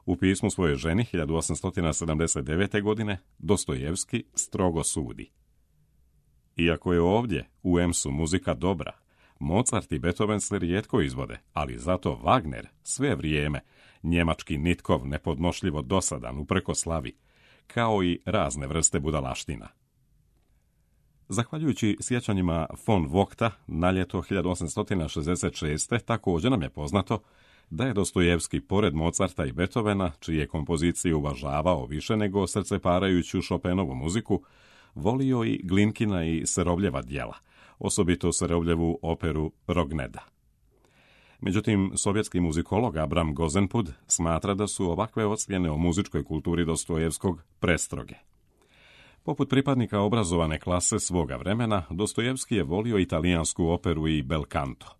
U pismu svojoj ženi hiljadu osamsto sedamdeset devete. godine Dostojevski strogo sudi: iako je ovdje u Emsu muzika dobra, Mozart i Beethoven se rijetko izvode, ali zato Wagner sve vrijeme, njemački nitkov nepodnošljivo dosadan upreko slavi, kao i razne vrste budalaština. Zahvaljujući sjećanjima von Vogta na ljeto hiljadu osamsto šezdeset šeste. također nam je poznato da je Dostojevski, pored Mozarta i Beethovena, čije kompozicije uvažavao više nego srceparajuću Chopinovu muziku, volio i Glinkina i Serovljeva djela, osobito Serovljevu operu Rogneda. Međutim, sovjetski muzikolog Abram Gozenpud smatra da su ovakve ocjene o muzičkoj kulturi Dostojevskog prestroge. Poput pripadnika obrazovane klase svoga vremena, Dostojevski je volio italijansku operu i bel canto.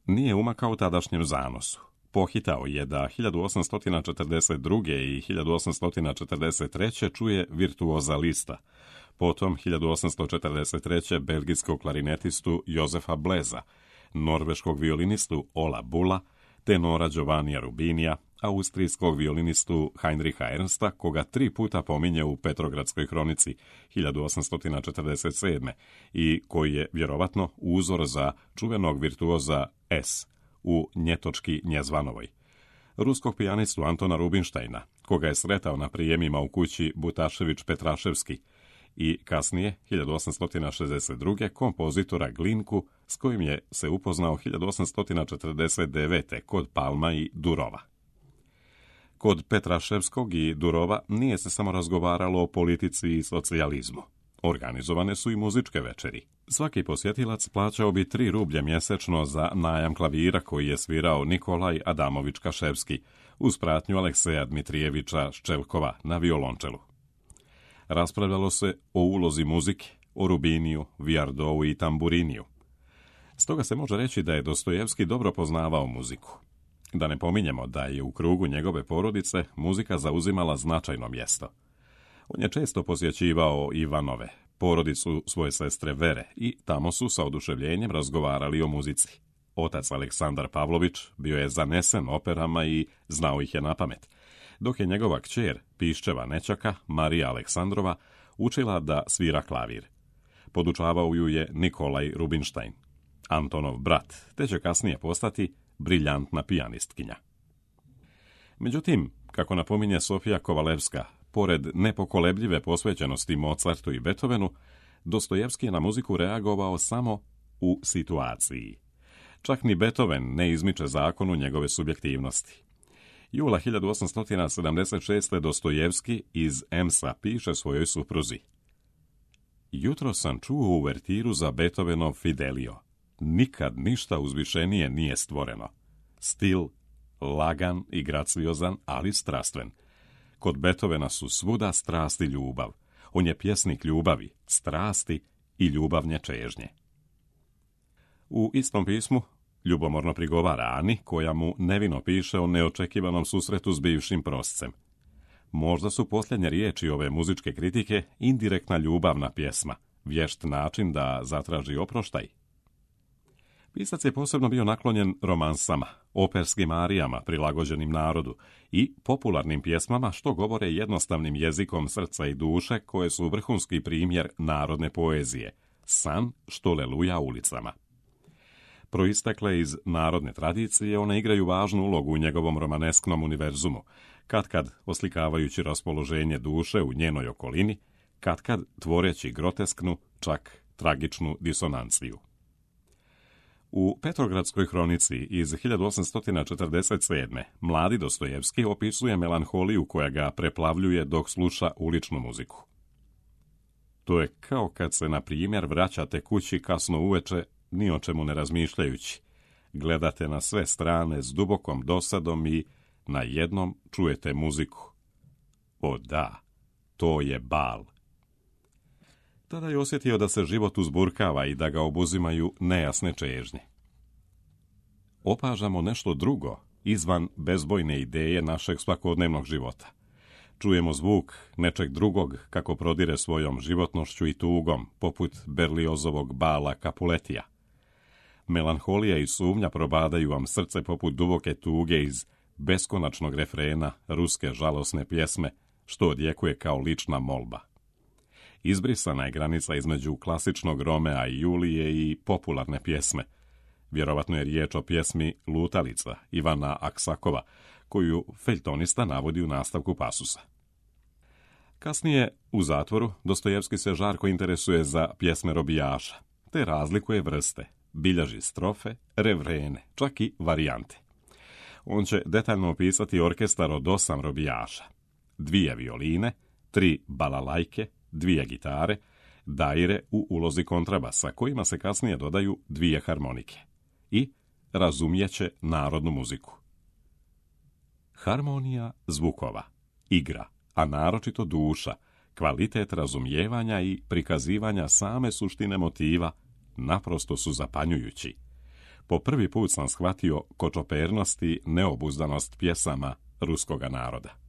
Nije umakao tadašnjem zanosu. Pohitao je da hiljadu osamsto četrdeset druge. i hiljadu osamsto četrdeset treće. čuje virtuoza Lista, potom hiljadu osamsto četrdeset treće. belgijskog klarinetistu Jozefa Bleza, norveškog violinistu Ola Bulla, tenora Giovannija Rubinija, austrijskog violinistu Heinricha Ernsta, koga tri puta pominje u Petrogradskoj hronici hiljadu osamsto četrdeset sedme. i koji je vjerovatno uzor za čuvenog virtuoza S u Njetočki Njezvanovoj, ruskog pijanistu Antona Rubinštajna, koga je sretao na prijemima u kući Butašević-Petraševski, i kasnije, hiljadu osamsto šezdeset druge. kompozitora Glinku, s kojim je se upoznao hiljadu osamsto četrdeset devete. kod Palma i Durova. Kod Petraševskog i Durova nije se samo razgovaralo o politici i socijalizmu. Organizovane su i muzičke večeri. Svaki posjetilac plaćao bi tri rublje mjesečno za najam klavira koji je svirao Nikolaj Adamović Kaševski uz pratnju Alekseja Dmitrijevića Ščelkova na violončelu. Raspravljalo se o ulozi muzike, o Rubiniju, Viardou i Tamburiniju. Stoga se može reći da je Dostojevski dobro poznavao muziku. Da ne pominjemo da je u krugu njegove porodice muzika zauzimala značajno mjesto. On je često posjećivao Ivanove, porodicu svoje sestre Vere, i tamo su sa oduševljenjem razgovarali o muzici. Otac Aleksandar Pavlović bio je zanesen operama i znao ih je napamet, dok je njegova kćer, piščeva nećaka, Marija Aleksandrova, učila da svira klavir. Podučavao ju je Nikolaj Rubinštajn, Antonov brat, te će kasnije postati briljantna pijanistkinja. Međutim, kako napominje Sofija Kovalevska, pored nepokolebljive posvećenosti Mozartu i Beethovenu, Dostojevski je na muziku reagovao samo u situaciji. Čak ni Beethoven ne izmiče zakonu njegove subjektivnosti. Jula hiljadu osamsto sedamdeset šeste. Dostojevski iz Emsa piše svojoj supruzi: jutro sam čuo uvertiru za Beethovenov Fidelio. Nikad ništa uzvišenije nije stvoreno. Stil, lagan i graciozan, ali strastven. Kod Beethovena su svuda strast i ljubav. On je pjesnik ljubavi, strasti i ljubavnje čežnje. U istom pismu ljubomorno prigovara Ani, koja mu nevino piše o neočekivanom susretu s bivšim proscem. Možda su posljednje riječi ove muzičke kritike indirektna ljubavna pjesma, vješt način da zatraži oproštaj. Pisac je posebno bio naklonjen romansama, operskim arijama prilagođenim narodu i popularnim pjesmama što govore jednostavnim jezikom srca i duše, koje su vrhunski primjer narodne poezije, san što leluja ulicama. Proistekle iz narodne tradicije, one igraju važnu ulogu u njegovom romanesknom univerzumu, katkad oslikavajući raspoloženje duše u njenoj okolini, katkad tvoreći grotesknu, čak tragičnu disonanciju. U Petrogradskoj hronici iz hiljadu osamsto četrdeset sedme. mladi Dostojevski opisuje melanholiju koja ga preplavljuje dok sluša uličnu muziku. To je kao kad se, na primjer, vraćate kući kasno uveče, ni o čemu ne razmišljajući. Gledate na sve strane s dubokom dosadom i na jednom čujete muziku. O da, to je bal. Tada je osjetio da se život uzburkava i da ga obuzimaju nejasne čežnje. Opažamo nešto drugo, izvan bezbojne ideje našeg svakodnevnog života. Čujemo zvuk nečeg drugog kako prodire svojom životnošću i tugom, poput Berliozovog bala Capuletija. Melanholija i sumnja probadaju vam srce poput duboke tuge iz beskonačnog refrena ruske žalosne pjesme, što odjekuje kao lična molba. Izbrisana je granica između klasičnog Romea i Julije i popularne pjesme. Vjerovatno je riječ o pjesmi Lutalica Ivana Aksakova, koju feljtonista navodi u nastavku pasusa. Kasnije, u zatvoru, Dostojevski se žarko interesuje za pjesme robijaša, te razlikuje vrste, bilježi strofe, refrene, čak i varijante. On će detaljno opisati orkestar od osam robijaša, dvije violine, tri balalajke, dvije gitare, daire u ulozi kontrabasa, kojima se kasnije dodaju dvije harmonike, i razumijeće narodnu muziku. Harmonija zvukova, igra, a naročito duša, kvalitet razumijevanja i prikazivanja same suštine motiva naprosto su zapanjujući. Po prvi put sam shvatio kočopernost i neobuzdanost pjesama ruskoga naroda.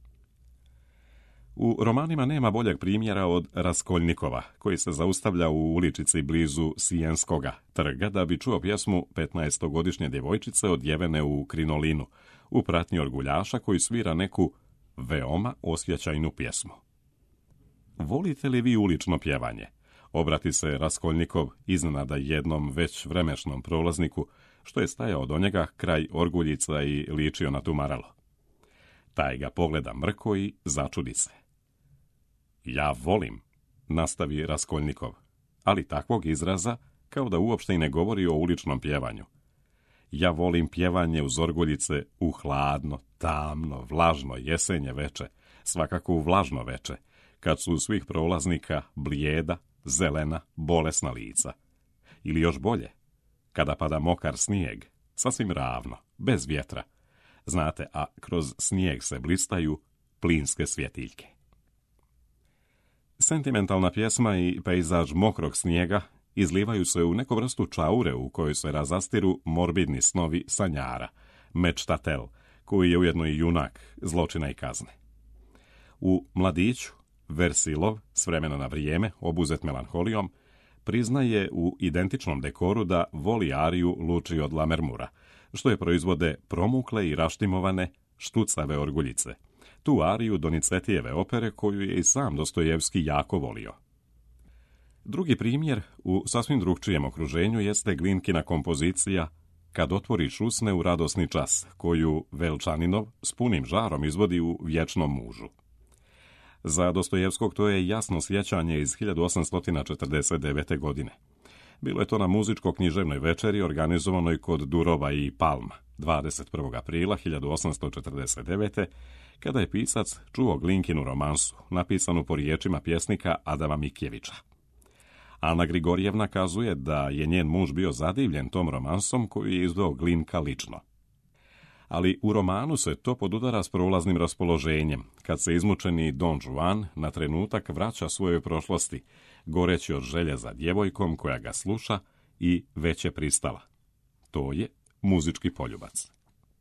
U romanima nema boljeg primjera od Raskoljnikova, koji se zaustavlja u uličici blizu Sijenskoga trga da bi čuo pjesmu petnaestogodišnje djevojčice odjevene u krinolinu, u pratnji orguljaša koji svira neku veoma osjećajnu pjesmu. Volite li vi ulično pjevanje? Obrati se Raskoljnikov iznenada jednom već vremešnom prolazniku, što je stajao do njega kraj orguljica i ličio na tumaralo. Taj ga pogleda mrko i začudi se. Ja volim, nastavi Raskoljnikov, ali takvog izraza kao da uopšte i ne govori o uličnom pjevanju. Ja volim pjevanje uz orguljice u hladno, tamno, vlažno jesenje veče, svakako u vlažno veče, kad su svih prolaznika blijeda, zelena, bolesna lica. Ili još bolje, kada pada mokar snijeg, sasvim ravno, bez vjetra. Znate, a kroz snijeg se blistaju plinske svjetiljke. Sentimentalna pjesma i pejzaž mokrog snijega izlivaju se u neku vrstu čaure u kojoj se razastiru morbidni snovi sanjara, mečtatel, koji je ujedno i junak zločina i kazne. U Mladiću, Versilov, s vremena na vrijeme, obuzet melanholijom, priznaje u identičnom dekoru da voli ariju Luči od Lamermura, što je proizvode promukle i raštimovane štucave orguljice, tu ariju Donizetijeve opere koju je i sam Dostojevski jako volio. Drugi primjer u sasvim drugčijem okruženju jeste Glinkina kompozicija Kad otvoriš usne u radosni čas, koju Velčaninov s punim žarom izvodi u Vječnom mužu. Za Dostojevskog to je jasno sjećanje iz hiljadu osamsto četrdeset devete. godine. Bilo je to na muzičko-književnoj večeri organizovanoj kod Durova i Palma, dvadeset prvog aprila hiljadu osamsto četrdeset devete. kada je pisac čuo Glinkinu romansu, napisanu po riječima pjesnika Adama Mikjevića. Ana Grigorjevna kazuje da je njen muž bio zadivljen tom romansom koju je izveo Glinka lično. Ali u romanu se to podudara s prolaznim raspoloženjem, kad se izmučeni Don Juan na trenutak vraća svojoj prošlosti, goreći od želje za djevojkom koja ga sluša i već je pristala. To je muzički poljubac.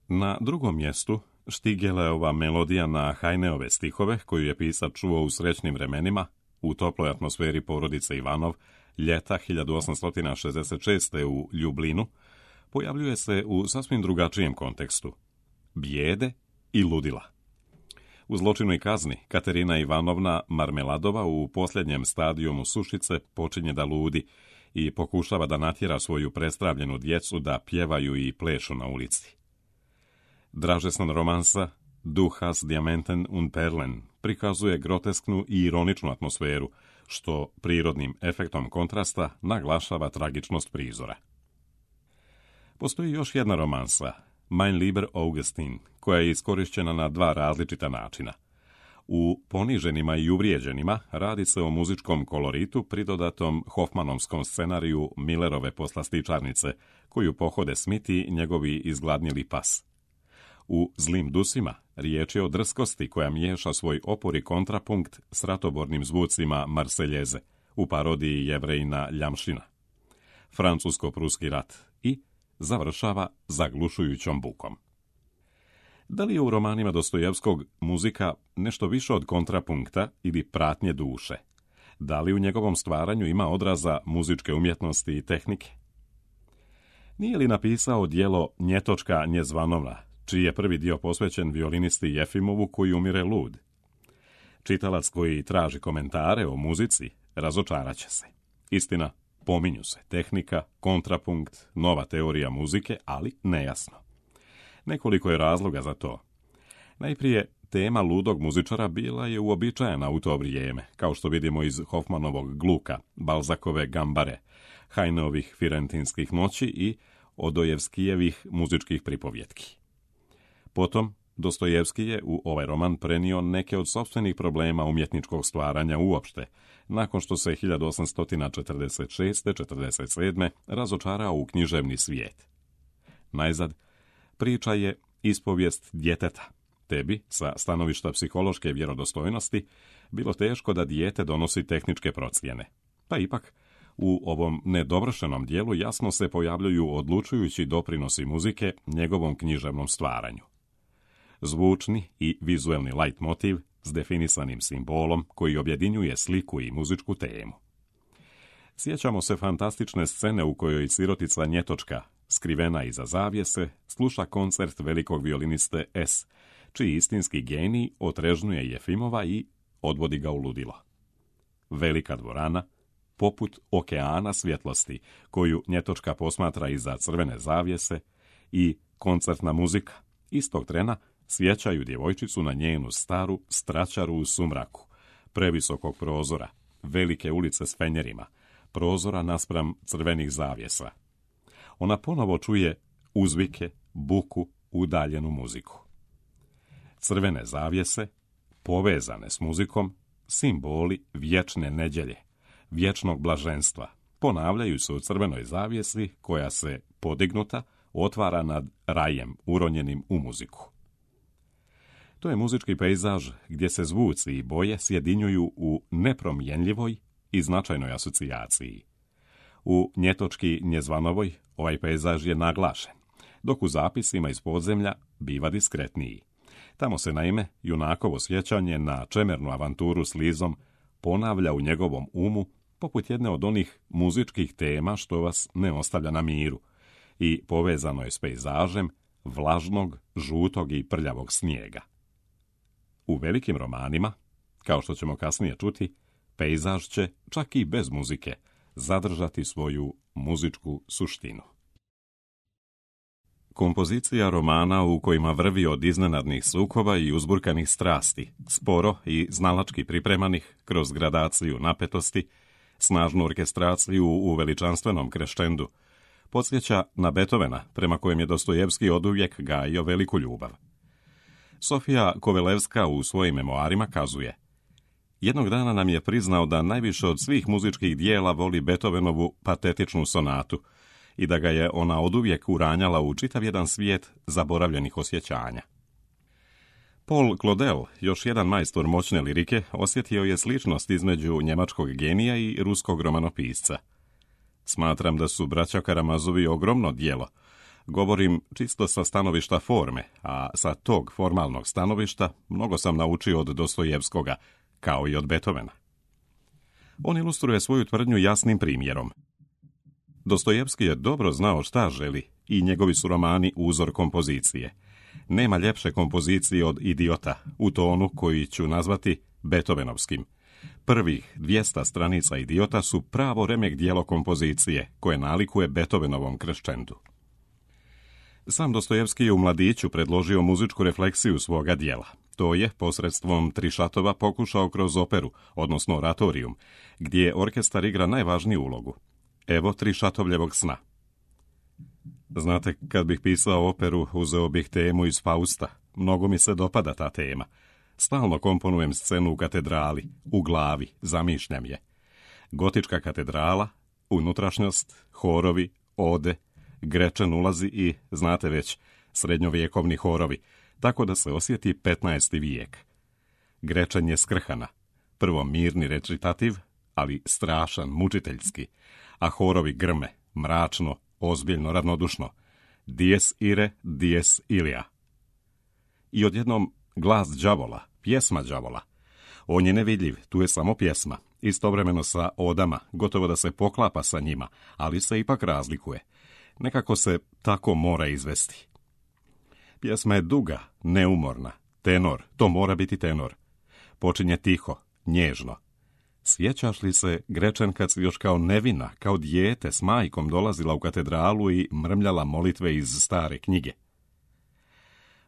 Na drugom mjestu Štigeleova melodija na Hajneove stihove, koju je pisac čuo u srećnim vremenima, u toploj atmosferi porodice Ivanov, ljeta hiljadu osamsto šezdeset šeste. u Ljublinu, pojavljuje se u sasvim drugačijem kontekstu. Bijede i ludila. U Zločinu i kazni Katerina Ivanovna Marmeladova u posljednjem stadijumu sušice počinje da ludi i pokušava da natjera svoju prestravljenu djecu da pjevaju i plešu na ulici. Dražestan romansa Du hast Diamanten und Perlen prikazuje grotesknu i ironičnu atmosferu, što prirodnim efektom kontrasta naglašava tragičnost prizora. Postoji još jedna romansa, Mein lieber Augustin, koja je iskorišćena na dva različita načina. U Poniženima i uvrijeđenima radi se o muzičkom koloritu pridodatom Hoffmanovskom scenariju Millerove Poslastičarnice, koju pohode Smiti njegovi izgladnjeli pas. U Zlim dusima riječ je o drskosti koja miješa svoj opor i kontrapunkt s ratobornim zvucima Marseljeze u parodiji Jevrejina Ljamšina. Francusko-pruski rat i završava zaglušujućom bukom. Da li je u romanima Dostojevskog muzika nešto više od kontrapunkta ili pratnje duše? Da li u njegovom stvaranju ima odraza muzičke umjetnosti i tehnike? Nije li napisao djelo Njetočka Njezvanovna, čiji je prvi dio posvećen violinisti Jefimovu koji umire lud. Čitalac koji traži komentare o muzici razočaraće se. Istina, pominju se tehnika, kontrapunkt, nova teorija muzike, ali nejasno. Nekoliko je razloga za to. Najprije, tema ludog muzičara bila je uobičajena u to vrijeme, kao što vidimo iz Hofmanovog Gluka, Balzakove Gambare, Heineovih Firentinskih noći i Odojevskijevih muzičkih pripovjetki. Potom, Dostojevski je u ovaj roman prenio neke od sopstvenih problema umjetničkog stvaranja uopšte, nakon što se hiljadu osamsto četrdeset šeste četrdeset sedme razočarao u književni svijet. Najzad, priča je ispovijest djeteta. Tebi, sa stanovišta psihološke vjerodostojnosti, bilo teško da dijete donosi tehničke procjene. Pa ipak, u ovom nedovršenom dijelu jasno se pojavljuju odlučujući doprinosi muzike njegovom književnom stvaranju. Zvučni i vizuelni leitmotiv s definisanim simbolom koji objedinjuje sliku i muzičku temu. Sjećamo se fantastične scene u kojoj sirotica Njetočka, skrivena iza zavjese, sluša koncert velikog violiniste S, čiji istinski genij otrežnjuje Jefimova i odvodi ga u ludilo. Velika dvorana, poput okeana svjetlosti, koju Njetočka posmatra iza crvene zavjese, i koncertna muzika, istog trena sjećaju djevojčicu na njenu staru stračaru u sumraku, previsokog prozora, velike ulice s fenjerima, prozora naspram crvenih zavjesa. Ona ponovo čuje uzvike, buku, udaljenu muziku. Crvene zavjese, povezane s muzikom, simboli vječne nedjelje, vječnog blaženstva, ponavljaju se u crvenoj zavjesi koja se, podignuta, otvara nad rajem uronjenim u muziku. To je muzički pejzaž gdje se zvuci i boje sjedinjuju u nepromjenljivoj i značajnoj asocijaciji. U Njetočki Njezvanovoj ovaj pejzaž je naglašen, dok u zapisima iz podzemlja biva diskretniji. Tamo se naime junakovo sjećanje na čemernu avanturu s Lizom ponavlja u njegovom umu poput jedne od onih muzičkih tema što vas ne ostavlja na miru i povezano je s pejzažem vlažnog, žutog i prljavog snijega. U velikim romanima, kao što ćemo kasnije čuti, pejzaž će, čak i bez muzike, zadržati svoju muzičku suštinu. Kompozicija romana u kojima vrvi od iznenadnih sukoba i uzburkanih strasti, sporo i znalački pripremanih kroz gradaciju napetosti, snažnu orkestraciju u veličanstvenom kreštendu, podsjeća na Beethovena, prema kojem je Dostojevski oduvijek gajio veliku ljubav. Sofija Kovelevska u svojim memoarima kazuje: jednog dana nam je priznao da najviše od svih muzičkih dijela voli Beethovenovu patetičnu sonatu i da ga je ona oduvijek uranjala u čitav jedan svijet zaboravljenih osjećanja. Paul Claudel, još jedan majstor moćne lirike, osjetio je sličnost između njemačkog genija i ruskog romanopisca. Smatram da su braća Karamazovi ogromno djelo. Govorim čisto sa stanovišta forme, a sa tog formalnog stanovišta mnogo sam naučio od Dostojevskoga, kao i od Beethovena. On ilustruje svoju tvrdnju jasnim primjerom. Dostojevski je dobro znao šta želi i njegovi su romani uzor kompozicije. Nema ljepše kompozicije od Idiota, u tonu koji ću nazvati Beethovenovskim. Prvih dvjesto stranica Idiota su pravo remek dijelo kompozicije, koje nalikuje Beethovenovom krešćendu. Sam Dostojevski je u mladiću predložio muzičku refleksiju svoga dijela. To je posredstvom tri šatova pokušao kroz operu, odnosno oratorium, gdje orkestar igra najvažniju ulogu. Evo tri šatovljevog sna. Znate, kad bih pisao operu, uzeo bih temu iz Fausta. Mnogo mi se dopada ta tema. Stalno komponujem scenu u katedrali, u glavi, zamišljam je. Gotička katedrala, unutrašnjost, horovi, ode, Grečen ulazi i, znate već, srednjovjekovni horovi, tako da se osjeti petnaesti vijek. Grečen je skrhana, prvo mirni recitativ, ali strašan, mučiteljski, a horovi grme, mračno, ozbiljno, ravnodušno. Dies ire, dies ilia. I odjednom glas đavola, pjesma đavola. On je nevidljiv, tu je samo pjesma, istovremeno sa odama, gotovo da se poklapa sa njima, ali se ipak razlikuje. Nekako se tako mora izvesti. Pjesma je duga, neumorna, tenor, to mora biti tenor. Počinje tiho, nježno. Sjećaš li se, Grečen, kad si još kao nevina, kao dijete s majkom dolazila u katedralu i mrmljala molitve iz stare knjige?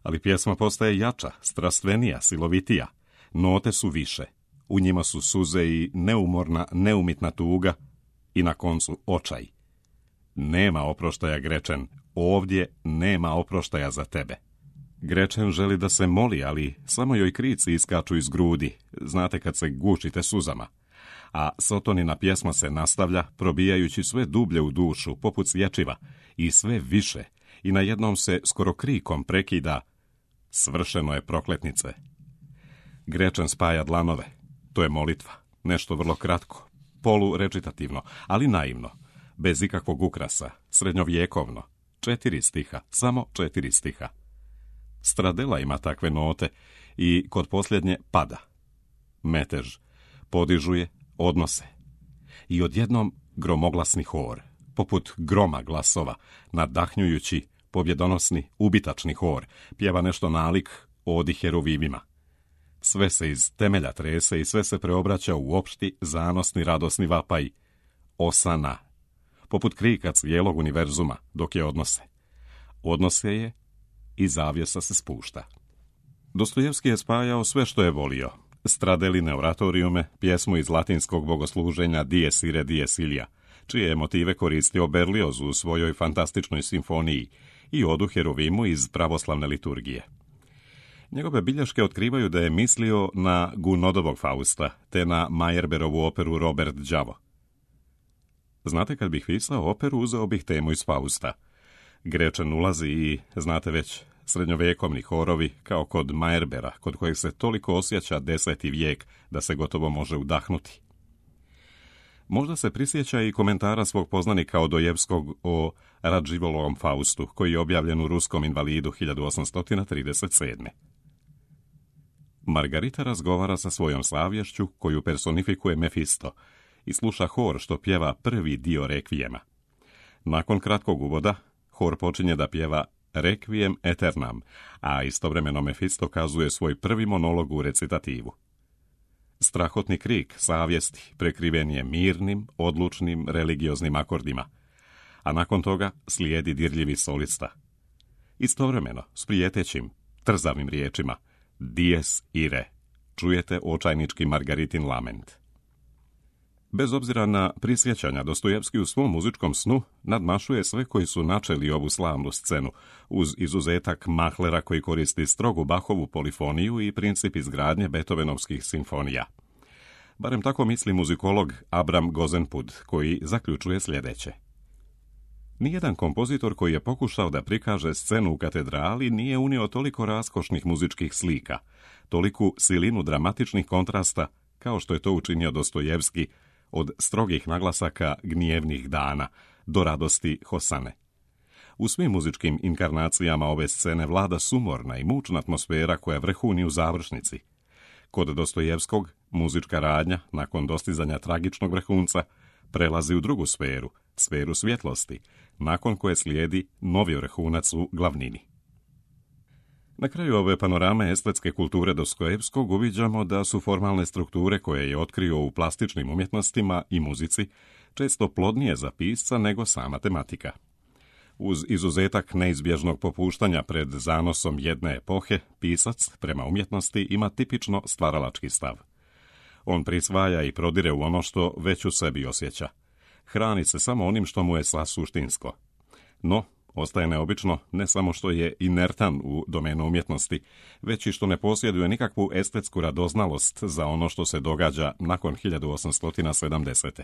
Ali pjesma postaje jača, strastvenija, silovitija. Note su više. U njima su suze i neumorna, neumitna tuga i na koncu očaj. Nema oproštaja, Grečen, ovdje nema oproštaja za tebe. Grečen želi da se moli, ali samo joj krici iskaču iz grudi, znate kad se gušite suzama. A Sotonina pjesma se nastavlja, probijajući sve dublje u dušu, poput sječiva, i sve više, i na jednom se skoro krikom prekida: svršeno je, prokletnice. Grečen spaja dlanove. To je molitva, nešto vrlo kratko, polu-recitativno, ali naivno, bez ikakvog ukrasa, srednjovjekovno. Četiri stiha, samo četiri stiha. Stradela ima takve note i kod posljednje pada. Metež, podižuje, odnose. I odjednom gromoglasni hor, poput groma glasova, nadahnjujući, pobjedonosni, ubitačni hor, pjeva nešto nalik odi heruvimima. Sve se iz temelja trese i sve se preobraća u opšti, zanosni, radosni vapaj. Osana, poput krika cijelog univerzuma, dok je odnose. Odnose je i zavjesa se spušta. Dostojevski je spajao sve što je volio. Stradeline oratorijume, pjesmu iz latinskog bogosluženja Dies ire, dies ilia, čije je motive koristio Berlioz u svojoj fantastičnoj simfoniji, i odu Herovimu iz pravoslavne liturgije. Njegove bilješke otkrivaju da je mislio na Gounodovog Fausta, te na Meyerbeerovu operu Robert Đavo. Znate, kad bih pisao operu, uzeo bih temu iz Fausta. Grečen ulazi i, znate već, srednjovjekovni horovi, kao kod Meyerbeera, kod kojeg se toliko osjeća deseti vijek da se gotovo može udahnuti. Možda se prisjeća i komentara svog poznanika Odojevskog o Radživolovom Faustu, koji je objavljen u Ruskom invalidu hiljadu osamsto trideset sedme. Margarita razgovara sa svojom savješću, koju personifikuje Mefisto, i sluša hor što pjeva prvi dio rekvijema. Nakon kratkog uvoda, hor počinje da pjeva Requiem Aeternam, a istovremeno Mefisto kazuje svoj prvi monolog u recitativu. Strahotni krik savjesti prekriven je mirnim, odlučnim, religioznim akordima, a nakon toga slijedi dirljivi solista. Istovremeno, s prijetećim, trzavim riječima, Dies ire, čujete očajnički Margaritin lament. Bez obzira na prisjećanja, Dostojevski u svom muzičkom snu nadmašuje sve koji su načeli ovu slavnu scenu, uz izuzetak Mahlera koji koristi strogu Bachovu polifoniju i princip izgradnje Beethovenovskih simfonija. Barem tako misli muzikolog Abram Gozenpud, koji zaključuje sljedeće. Nijedan kompozitor koji je pokušao da prikaže scenu u katedrali nije unio toliko raskošnih muzičkih slika, toliku silinu dramatičnih kontrasta, kao što je to učinio Dostojevski, od strogih naglasaka gnjevnih dana do radosti Hosane. U svim muzičkim inkarnacijama ove scene vlada sumorna i mučna atmosfera koja vrhuni u završnici. Kod Dostojevskog muzička radnja, nakon dostizanja tragičnog vrhunca, prelazi u drugu sferu, sferu svjetlosti, nakon koje slijedi novi vrhunac u glavnini. Na kraju ove panorame estetske kulture Dostojevskog uviđamo da su formalne strukture koje je otkrio u plastičnim umjetnostima i muzici često plodnije za pisca nego sama tematika. Uz izuzetak neizbježnog popuštanja pred zanosom jedne epohe, pisac prema umjetnosti ima tipično stvaralački stav. On prisvaja i prodire u ono što već u sebi osjeća. Hrani se samo onim što mu je sasuštinsko. No, ostaje neobično ne samo što je inertan u domenu umjetnosti, već i što ne posjeduje nikakvu estetsku radoznalost za ono što se događa nakon hiljadu osamsto sedamdesete.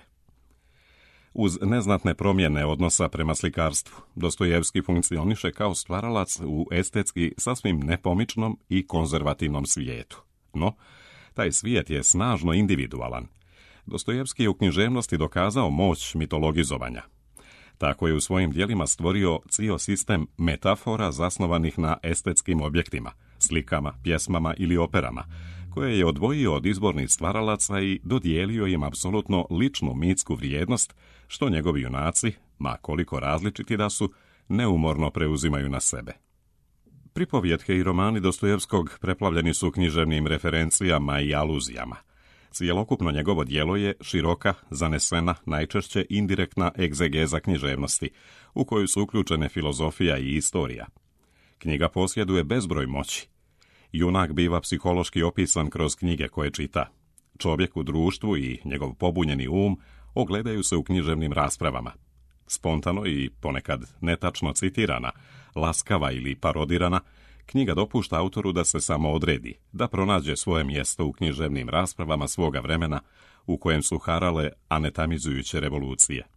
Uz neznatne promjene odnosa prema slikarstvu, Dostojevski funkcioniše kao stvaralac u estetski sasvim nepomičnom i konzervativnom svijetu. No, taj svijet je snažno individualan. Dostojevski je u književnosti dokazao moć mitologizovanja. Tako je u svojim djelima stvorio cijel sistem metafora zasnovanih na estetskim objektima, slikama, pjesmama ili operama, koje je odvojio od izbornih stvaralaca i dodijelio im apsolutno ličnu mitsku vrijednost, što njegovi junaci, ma koliko različiti da su, neumorno preuzimaju na sebe. Pripovjetke i romani Dostojevskog preplavljeni su književnim referencijama i aluzijama. Cjelokupno njegovo djelo je široka, zanesena, najčešće indirektna egzegeza književnosti, u koju su uključene filozofija i istorija. Knjiga posjeduje bezbroj moći. Junak biva psihološki opisan kroz knjige koje čita. Čovjek u društvu i njegov pobunjeni um ogledaju se u književnim raspravama. Spontano i ponekad netačno citirana, laskava ili parodirana, knjiga dopušta autoru da se samo odredi, da pronađe svoje mjesto u književnim raspravama svoga vremena u kojem su harale anetamizujuće revolucije.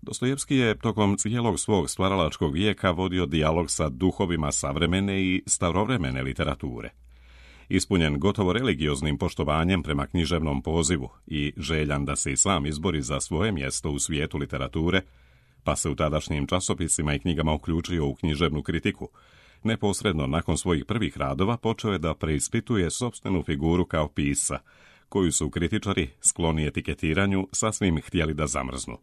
Dostojevski je tokom cijelog svog stvaralačkog vijeka vodio dijalog sa duhovima savremene i starovremene literature. Ispunjen gotovo religioznim poštovanjem prema književnom pozivu i željan da se i sam izbori za svoje mjesto u svijetu literature, pa se u tadašnjim časopisima i knjigama uključio u književnu kritiku, neposredno nakon svojih prvih radova počeo je da preispituje sopstvenu figuru kao pisca, koju su kritičari, skloni etiketiranju, sasvim htjeli da zamrznu.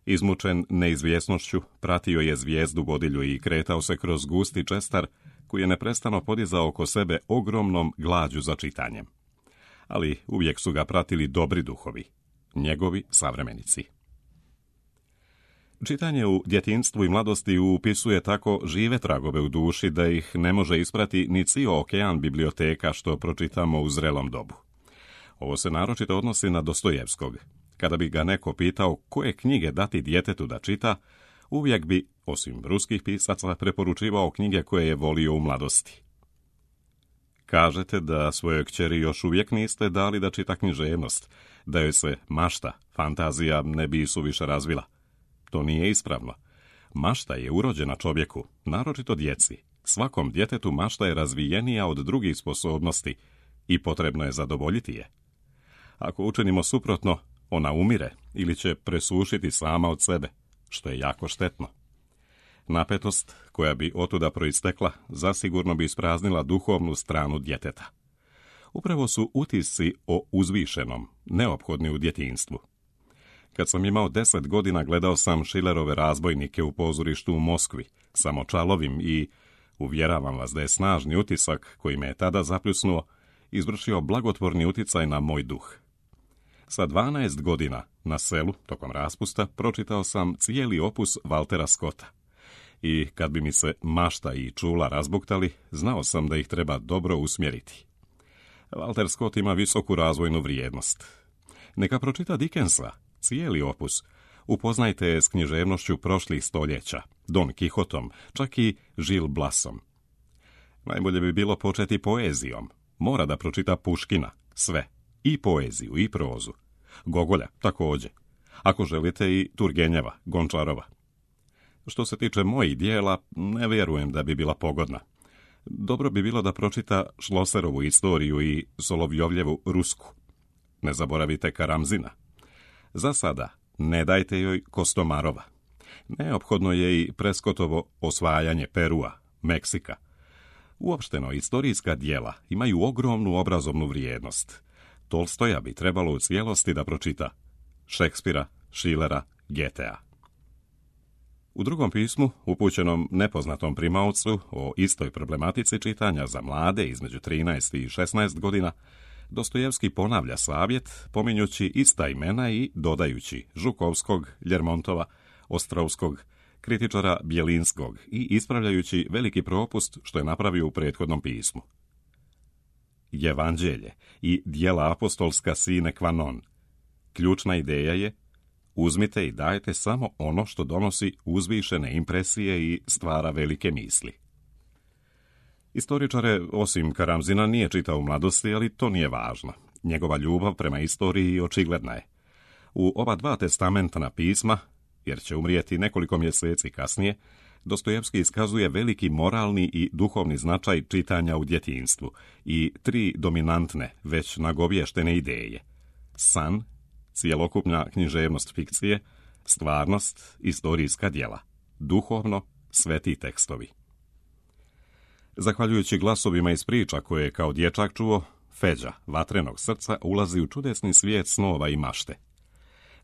Izmučen neizvjesnošću, pratio je zvijezdu vodilju i kretao se kroz gusti čestar, koji je neprestano podizao oko sebe ogromnom glađu za čitanjem. Ali uvijek su ga pratili dobri duhovi, njegovi savremenici. Čitanje u djetinjstvu i mladosti upisuje tako žive tragove u duši da ih ne može isprati ni cijel okean biblioteka što pročitamo u zrelom dobu. Ovo se naročito odnosi na Dostojevskog. Kada bi ga neko pitao koje knjige dati djetetu da čita, uvijek bi, osim ruskih pisaca, preporučivao knjige koje je volio u mladosti. Kažete da svojoj kćeri još uvijek niste dali da čita književnost, da joj se mašta, fantazija ne bi suviše razvila. To nije ispravno. Mašta je urođena čovjeku, naročito djeci. Svakom djetetu mašta je razvijenija od drugih sposobnosti i potrebno je zadovoljiti je. Ako učinimo suprotno, ona umire ili će presušiti sama od sebe, što je jako štetno. Napetost, koja bi otuda proistekla, zasigurno bi ispraznila duhovnu stranu djeteta. Upravo su utisci o uzvišenom neophodni u djetinjstvu. Kad sam imao deset godina, gledao sam Schillerove razbojnike u pozorištu u Moskvi, samočalovim i, uvjeravam vas da je snažni utisak, koji me je tada zapljusnuo, izvršio blagotvorni uticaj na moj duh. Sa dvanaest godina, na selu, tokom raspusta, pročitao sam cijeli opus Waltera Scotta. I kad bi mi se mašta i čula razbuktali, znao sam da ih treba dobro usmjeriti. Walter Scott ima visoku razvojnu vrijednost. Neka pročita Dickensa, cijeli opus. Upoznajte je s književnošću prošlih stoljeća, Don Quijotom, čak i Gil Blasom. Najbolje bi bilo početi poezijom. Mora da pročita Puškina, sve, i poeziju, i prozu. Gogolja, također. Ako želite i Turgenjeva, Gončarova. Što se tiče mojih dijela, ne vjerujem da bi bila pogodna. Dobro bi bilo da pročita Šloserovu istoriju i Solovjovljevu Rusku. Ne zaboravite Karamzina. Za sada ne dajte joj Kostomarova. Neophodno je i Preskotovo osvajanje Perua, Meksika. Uopšteno, istorijska djela imaju ogromnu obrazovnu vrijednost. Tolstoja bi trebalo u cijelosti da pročita. Šekspira, Schillera, Goethea. U drugom pismu, upućenom nepoznatom primaocu o istoj problematici čitanja za mlade između trinaest i šesnaest godina, Dostojevski ponavlja savjet, pominjući ista imena i dodajući Žukovskog, Ljermontova, Ostrovskog, kritičara Bjelinskog i ispravljajući veliki propust što je napravio u prethodnom pismu. Evanđelje i djela apostolska sine qua non. Ključna ideja je: uzmite i dajte samo ono što donosi uzvišene impresije i stvara velike misli. Istoričare, osim Karamzina, nije čitao u mladosti, ali to nije važno. Njegova ljubav prema istoriji očigledna je. U ova dva testamentna pisma, jer će umrijeti nekoliko mjeseci kasnije, Dostojevski iskazuje veliki moralni i duhovni značaj čitanja u djetinjstvu i tri dominantne, već nagovještene ideje. San, cjelokupna književnost fikcije, stvarnost, istorijska djela, duhovno, sveti tekstovi. Zahvaljujući glasovima iz priča koje je kao dječak čuo, Feđa, vatrenog srca, ulazi u čudesni svijet snova i mašte.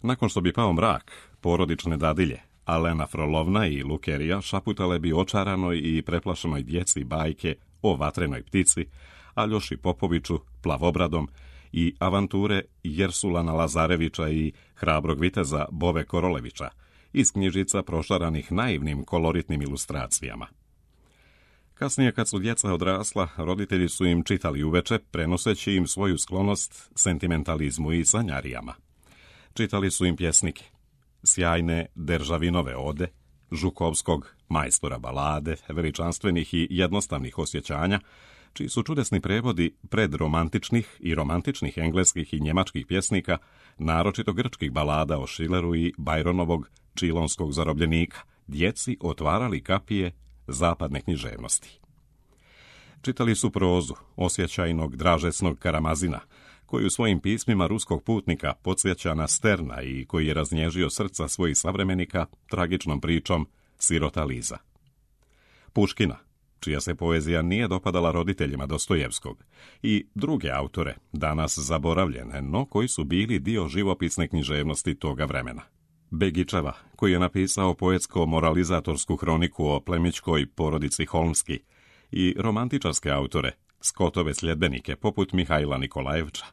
Nakon što bi pao mrak, porodične dadilje, Alena Frolovna i Lukerija šaputale bi očaranoj i preplašenoj djeci bajke o vatrenoj ptici, Aljoši Popoviću, Plavobradom i avanture Jersulana Lazarevića i hrabrog viteza Bove Korolevića iz knjižica prošaranih naivnim koloritnim ilustracijama. Kasnije, kad su djeca odrasla, roditelji su im čitali uveče, prenoseći im svoju sklonost sentimentalizmu i sanjarijama. Čitali su im pjesnike, sjajne Deržavinove ode, Žukovskog majstora balade, veličanstvenih i jednostavnih osjećanja, čiji su čudesni prevodi predromantičnih i romantičnih engleskih i njemačkih pjesnika, naročito grčkih balada o Schilleru i Byronovog Čilonskog zarobljenika, djeci otvarali kapije zapadne književnosti. Čitali su prozu osjećajnog Dražesnog Karamazina, koji u svojim pismima ruskog putnika podsjeća na Sterna i koji je raznježio srca svojih savremenika tragičnom pričom Sirota Liza. Puškina, čija se poezija nije dopadala roditeljima Dostojevskog, i druge autore, danas zaboravljene, no koji su bili dio živopisne književnosti toga vremena. Begičeva, koji je napisao poetsko-moralizatorsku hroniku o plemićkoj porodici Holmski, i romantičarske autore, Scottove sljedbenike poput Mihajla Nikolajevča.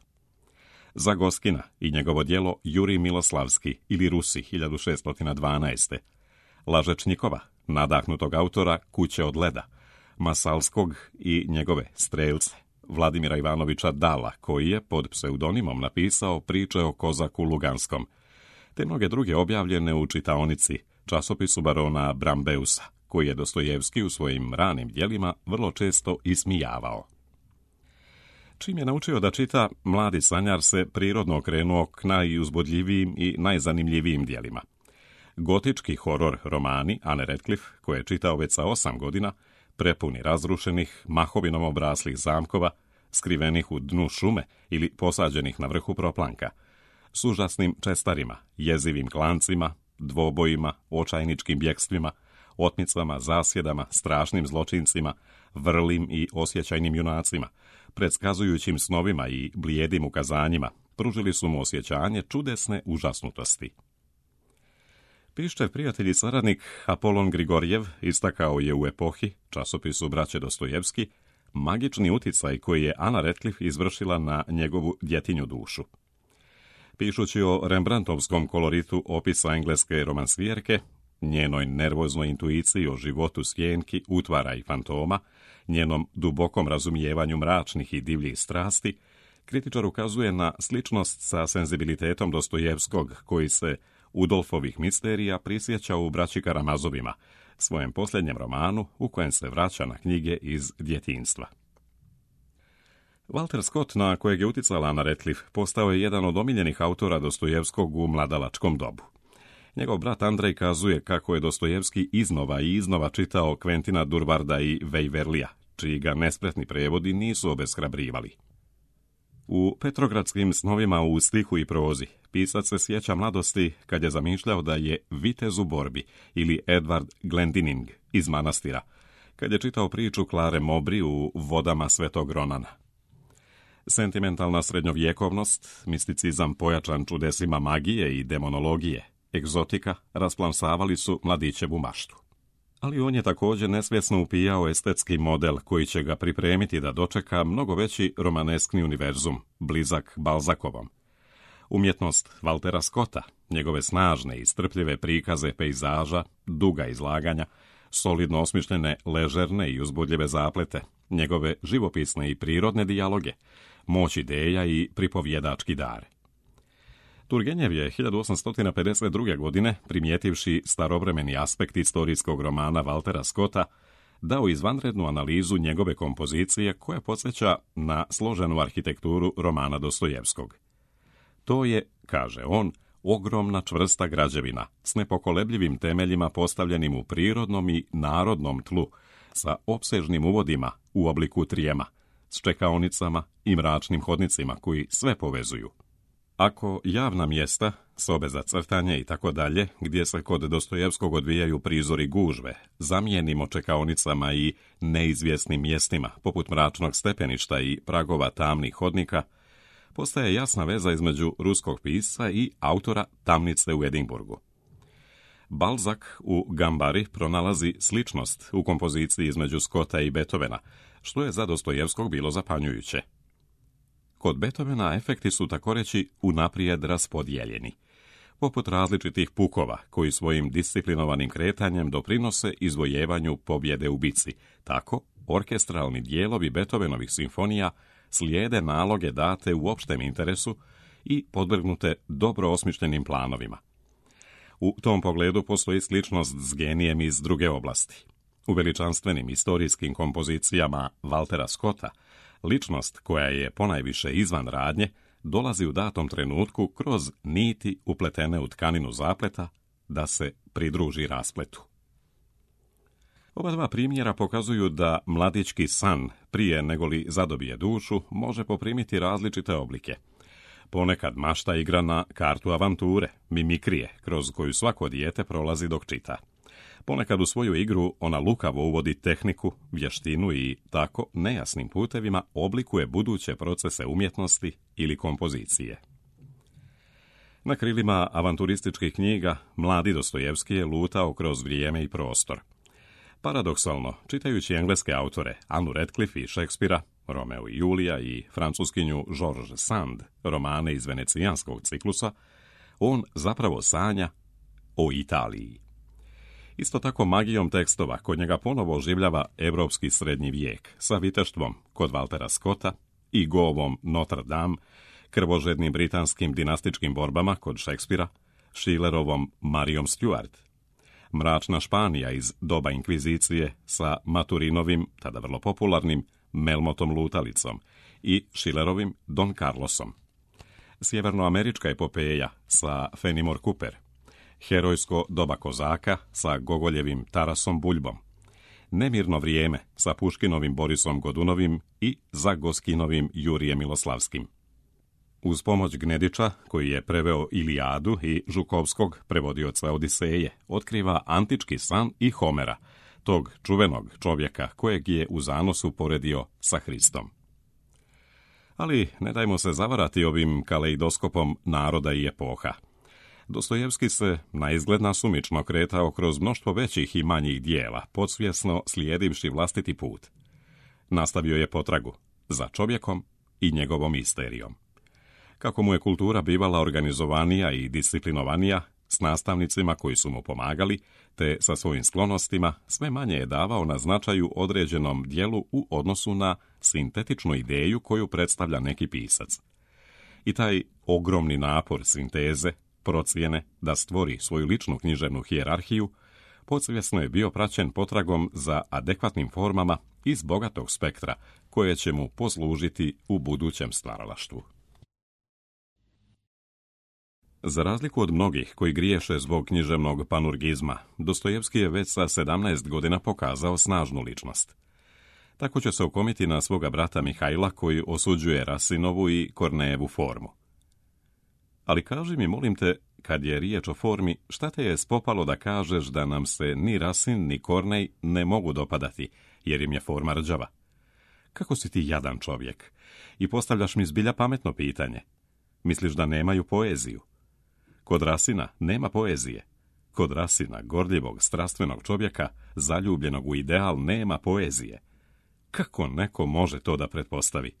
Zagoskina i njegovo djelo Jurij Miloslavski ili Rusi hiljadu šeststo dvanaeste. Lažečnikova, nadahnutog autora Kuće od leda, Masalskog i njegove Strelce, Vladimira Ivanovića Dala, koji je pod pseudonimom napisao priče o Kozaku Luganskom, te mnoge druge objavljene u čitaonici, časopisu barona Brambeusa, koji je Dostojevski u svojim ranim djelima vrlo često ismijavao. Čim je naučio da čita, mladi sanjar se prirodno okrenuo k najuzbudljivijim i najzanimljivijim djelima. Gotički horor romani Anne Radcliffe, koje je čitao već sa osam godina, prepuni razrušenih, mahovinom obraslih zamkova, skrivenih u dnu šume ili posađenih na vrhu proplanka, s užasnim čestarima, jezivim klancima, dvobojima, očajničkim bjegstvima, otmicama, zasjedama, strašnim zločincima, vrlim i osjećajnim junacima, predskazujućim snovima i blijedim ukazanjima, pružili su mu osjećanje čudesne užasnutosti. Piščev prijatelj i saradnik Apolon Grigorjev istakao je u Epohi, časopisu braće Dostojevski, magični uticaj koji je Anna Radcliffe izvršila na njegovu djetinju dušu. Pišući o Rembrandtovskom koloritu opisa engleske romansvijerke, njenoj nervoznoj intuiciji o životu sjenki, utvara i fantoma, njenom dubokom razumijevanju mračnih i divljih strasti, kritičar ukazuje na sličnost sa senzibilitetom Dostojevskog, koji se Udolfovih misterija prisjeća u Braći Karamazovima, svojem posljednjem romanu u kojem se vraća na knjige iz djetinjstva. Walter Scott, na kojeg je uticala Anna Radcliffe, postao je jedan od omiljenih autora Dostojevskog u mladalačkom dobu. Njegov brat Andrej kazuje kako je Dostojevski iznova i iznova čitao Quentina Durwarda i Waverleya, čiji ga nespretni prevodi nisu obeshrabrivali. U Petrogradskim snovima u stihu i prozi pisac se sjeća mladosti kad je zamišljao da je vitez u borbi ili Edward Glendinning iz manastira, kad je čitao priču Klare Mowbray u Vodama Svetog Ronana. Sentimentalna srednjovjekovnost, misticizam pojačan čudesima magije i demonologije, egzotika rasplamsavali su mladićevu maštu. Ali on je također nesvjesno upijao estetski model koji će ga pripremiti da dočeka mnogo veći romaneskni univerzum, blizak Balzakovom. Umjetnost Waltera Scotta, njegove snažne i strpljive prikaze pejzaža, duga izlaganja, solidno osmišljene ležerne i uzbudljive zaplete, njegove živopisne i prirodne dijaloge, moć ideja i pripovjedački dar. Turgenjev je hiljadu osamsto pedeset druge. godine, primijetivši starovremeni aspekt istorijskog romana Waltera Scotta, dao izvanrednu analizu njegove kompozicije koja podsjeća na složenu arhitekturu romana Dostojevskog. To je, kaže on, ogromna čvrsta građevina s nepokolebljivim temeljima postavljenim u prirodnom i narodnom tlu, sa opsežnim uvodima u obliku trijema, s čekaonicama i mračnim hodnicima koji sve povezuju. Ako javna mjesta, sobe za crtanje i tako dalje, gdje se kod Dostojevskog odvijaju prizori gužve, zamijenimo čekaonicama i neizvjesnim mjestima, poput mračnog stepeništa i pragova tamnih hodnika, postaje jasna veza između ruskog pisca i autora Tamnice u Edinburgu. Balzac u Gambari pronalazi sličnost u kompoziciji između Scotta i Beethovena, što je za Dostojevskog bilo zapanjujuće. Kod Beethovena efekti su takoreći unaprijed raspodijeljeni, poput različitih pukova koji svojim disciplinovanim kretanjem doprinose izvojevanju pobjede u bici. Tako, orkestralni dijelovi Beethovenovih simfonija slijede naloge date u opštem interesu i podvrgnute dobro osmišljenim planovima. U tom pogledu postoji sličnost s genijem iz druge oblasti. U veličanstvenim istorijskim kompozicijama Waltera Scotta, ličnost koja je ponajviše izvan radnje, dolazi u datom trenutku kroz niti upletene u tkaninu zapleta da se pridruži raspletu. Oba dva primjera pokazuju da mladićki san, prije negoli zadobije dušu, može poprimiti različite oblike. Ponekad mašta igra na kartu avanture, mimikrije, kroz koju svako dijete prolazi dok čita. Ponekad u svoju igru ona lukavo uvodi tehniku, vještinu i tako nejasnim putevima oblikuje buduće procese umjetnosti ili kompozicije. Na krilima avanturističkih knjiga mladi Dostojevski je lutao kroz vrijeme i prostor. Paradoksalno, čitajući engleske autore Annu Radcliffe i Šekspira, Romeo i Julija i francuskinju George Sand, romane iz venecijanskog ciklusa, on zapravo sanja o Italiji. Isto tako magijom tekstova kod njega ponovo oživljava evropski srednji vijek sa viteštvom kod Waltera Scotta i govom Notre Dame, krvožednim britanskim dinastičkim borbama kod Šekspira, Schillerovom Marijom Stuart, mračna Španija iz doba inkvizicije sa Maturinovim, tada vrlo popularnim, Melmotom Lutalicom i Schillerovim Don Carlosom, sjevernoamerička epopeja sa Fenimore Cooper, herojsko doba kozaka sa Gogoljevim Tarasom Buljbom, nemirno vrijeme sa Puškinovim Borisom Godunovim i Zagoskinovim Jurijem Miloslavskim. Uz pomoć Gnedića, koji je preveo Ilijadu, i Žukovskog, prevodioca Odiseje, otkriva antički san i Homera, tog čuvenog čovjeka kojeg je u zanosu poredio sa Hristom. Ali ne dajmo se zavarati ovim kaleidoskopom naroda i epoha. Dostojevski se naizgled nasumično kretao kroz mnoštvo većih i manjih dijela, podsvjesno slijedivši vlastiti put. Nastavio je potragu za čovjekom i njegovom misterijom. Kako mu je kultura bivala organizovanija i disciplinovanija, s nastavnicima koji su mu pomagali, te sa svojim sklonostima, sve manje je davao na značaju određenom dijelu u odnosu na sintetičnu ideju koju predstavlja neki pisac. I taj ogromni napor sinteze, procjene da stvori svoju ličnu književnu hijerarhiju, podsvjesno je bio praćen potragom za adekvatnim formama iz bogatog spektra koje će mu poslužiti u budućem stvaralaštvu. Za razliku od mnogih koji griješe zbog književnog panurgizma, Dostojevski je već sa sedamnaest godina pokazao snažnu ličnost. Tako će se okomiti na svoga brata Mihajla koji osuđuje Rasinovu i Kornejevu formu. Ali kaži mi, molim te, kad je riječ o formi, šta te je spopalo da kažeš da nam se ni Rasin ni Kornej ne mogu dopadati, jer im je forma rđava? Kako si ti jadan čovjek? I postavljaš mi zbilja pametno pitanje. Misliš da nemaju poeziju? Kod Rasina nema poezije. Kod Rasina, gorljivog, strastvenog čovjeka, zaljubljenog u ideal, nema poezije. Kako neko može to da pretpostavi?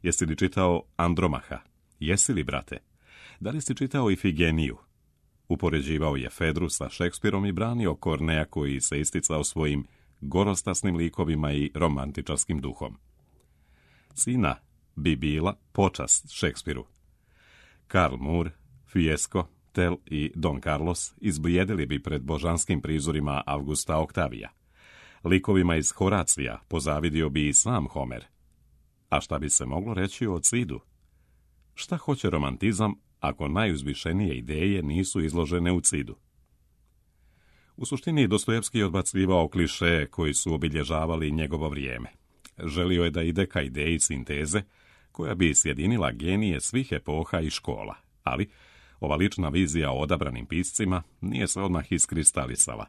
Jesi li čitao Andromaha? Jesi li, brate? Da li si čitao Ifigeniju? Upoređivao je Fedru sa Šekspirom i branio Korneja koji se isticao svojim gorostasnim likovima i romantičarskim duhom. Cina bi bila počast Šekspiru. Karl Moore, Fiesco, Tell i Don Carlos izblijedili bi pred božanskim prizorima Augusta Oktavija. Likovima iz Horacija pozavidio bi i sam Homer. A šta bi se moglo reći o Cidu? Šta hoće romantizam ako najuzvišenije ideje nisu izložene u Cidu? U suštini Dostojevski je odbacivao klišeje koji su obilježavali njegovo vrijeme. Želio je da ide ka ideji sinteze koja bi sjedinila genije svih epoha i škola, ali ova lična vizija o odabranim piscima nije se odmah iskristalisala.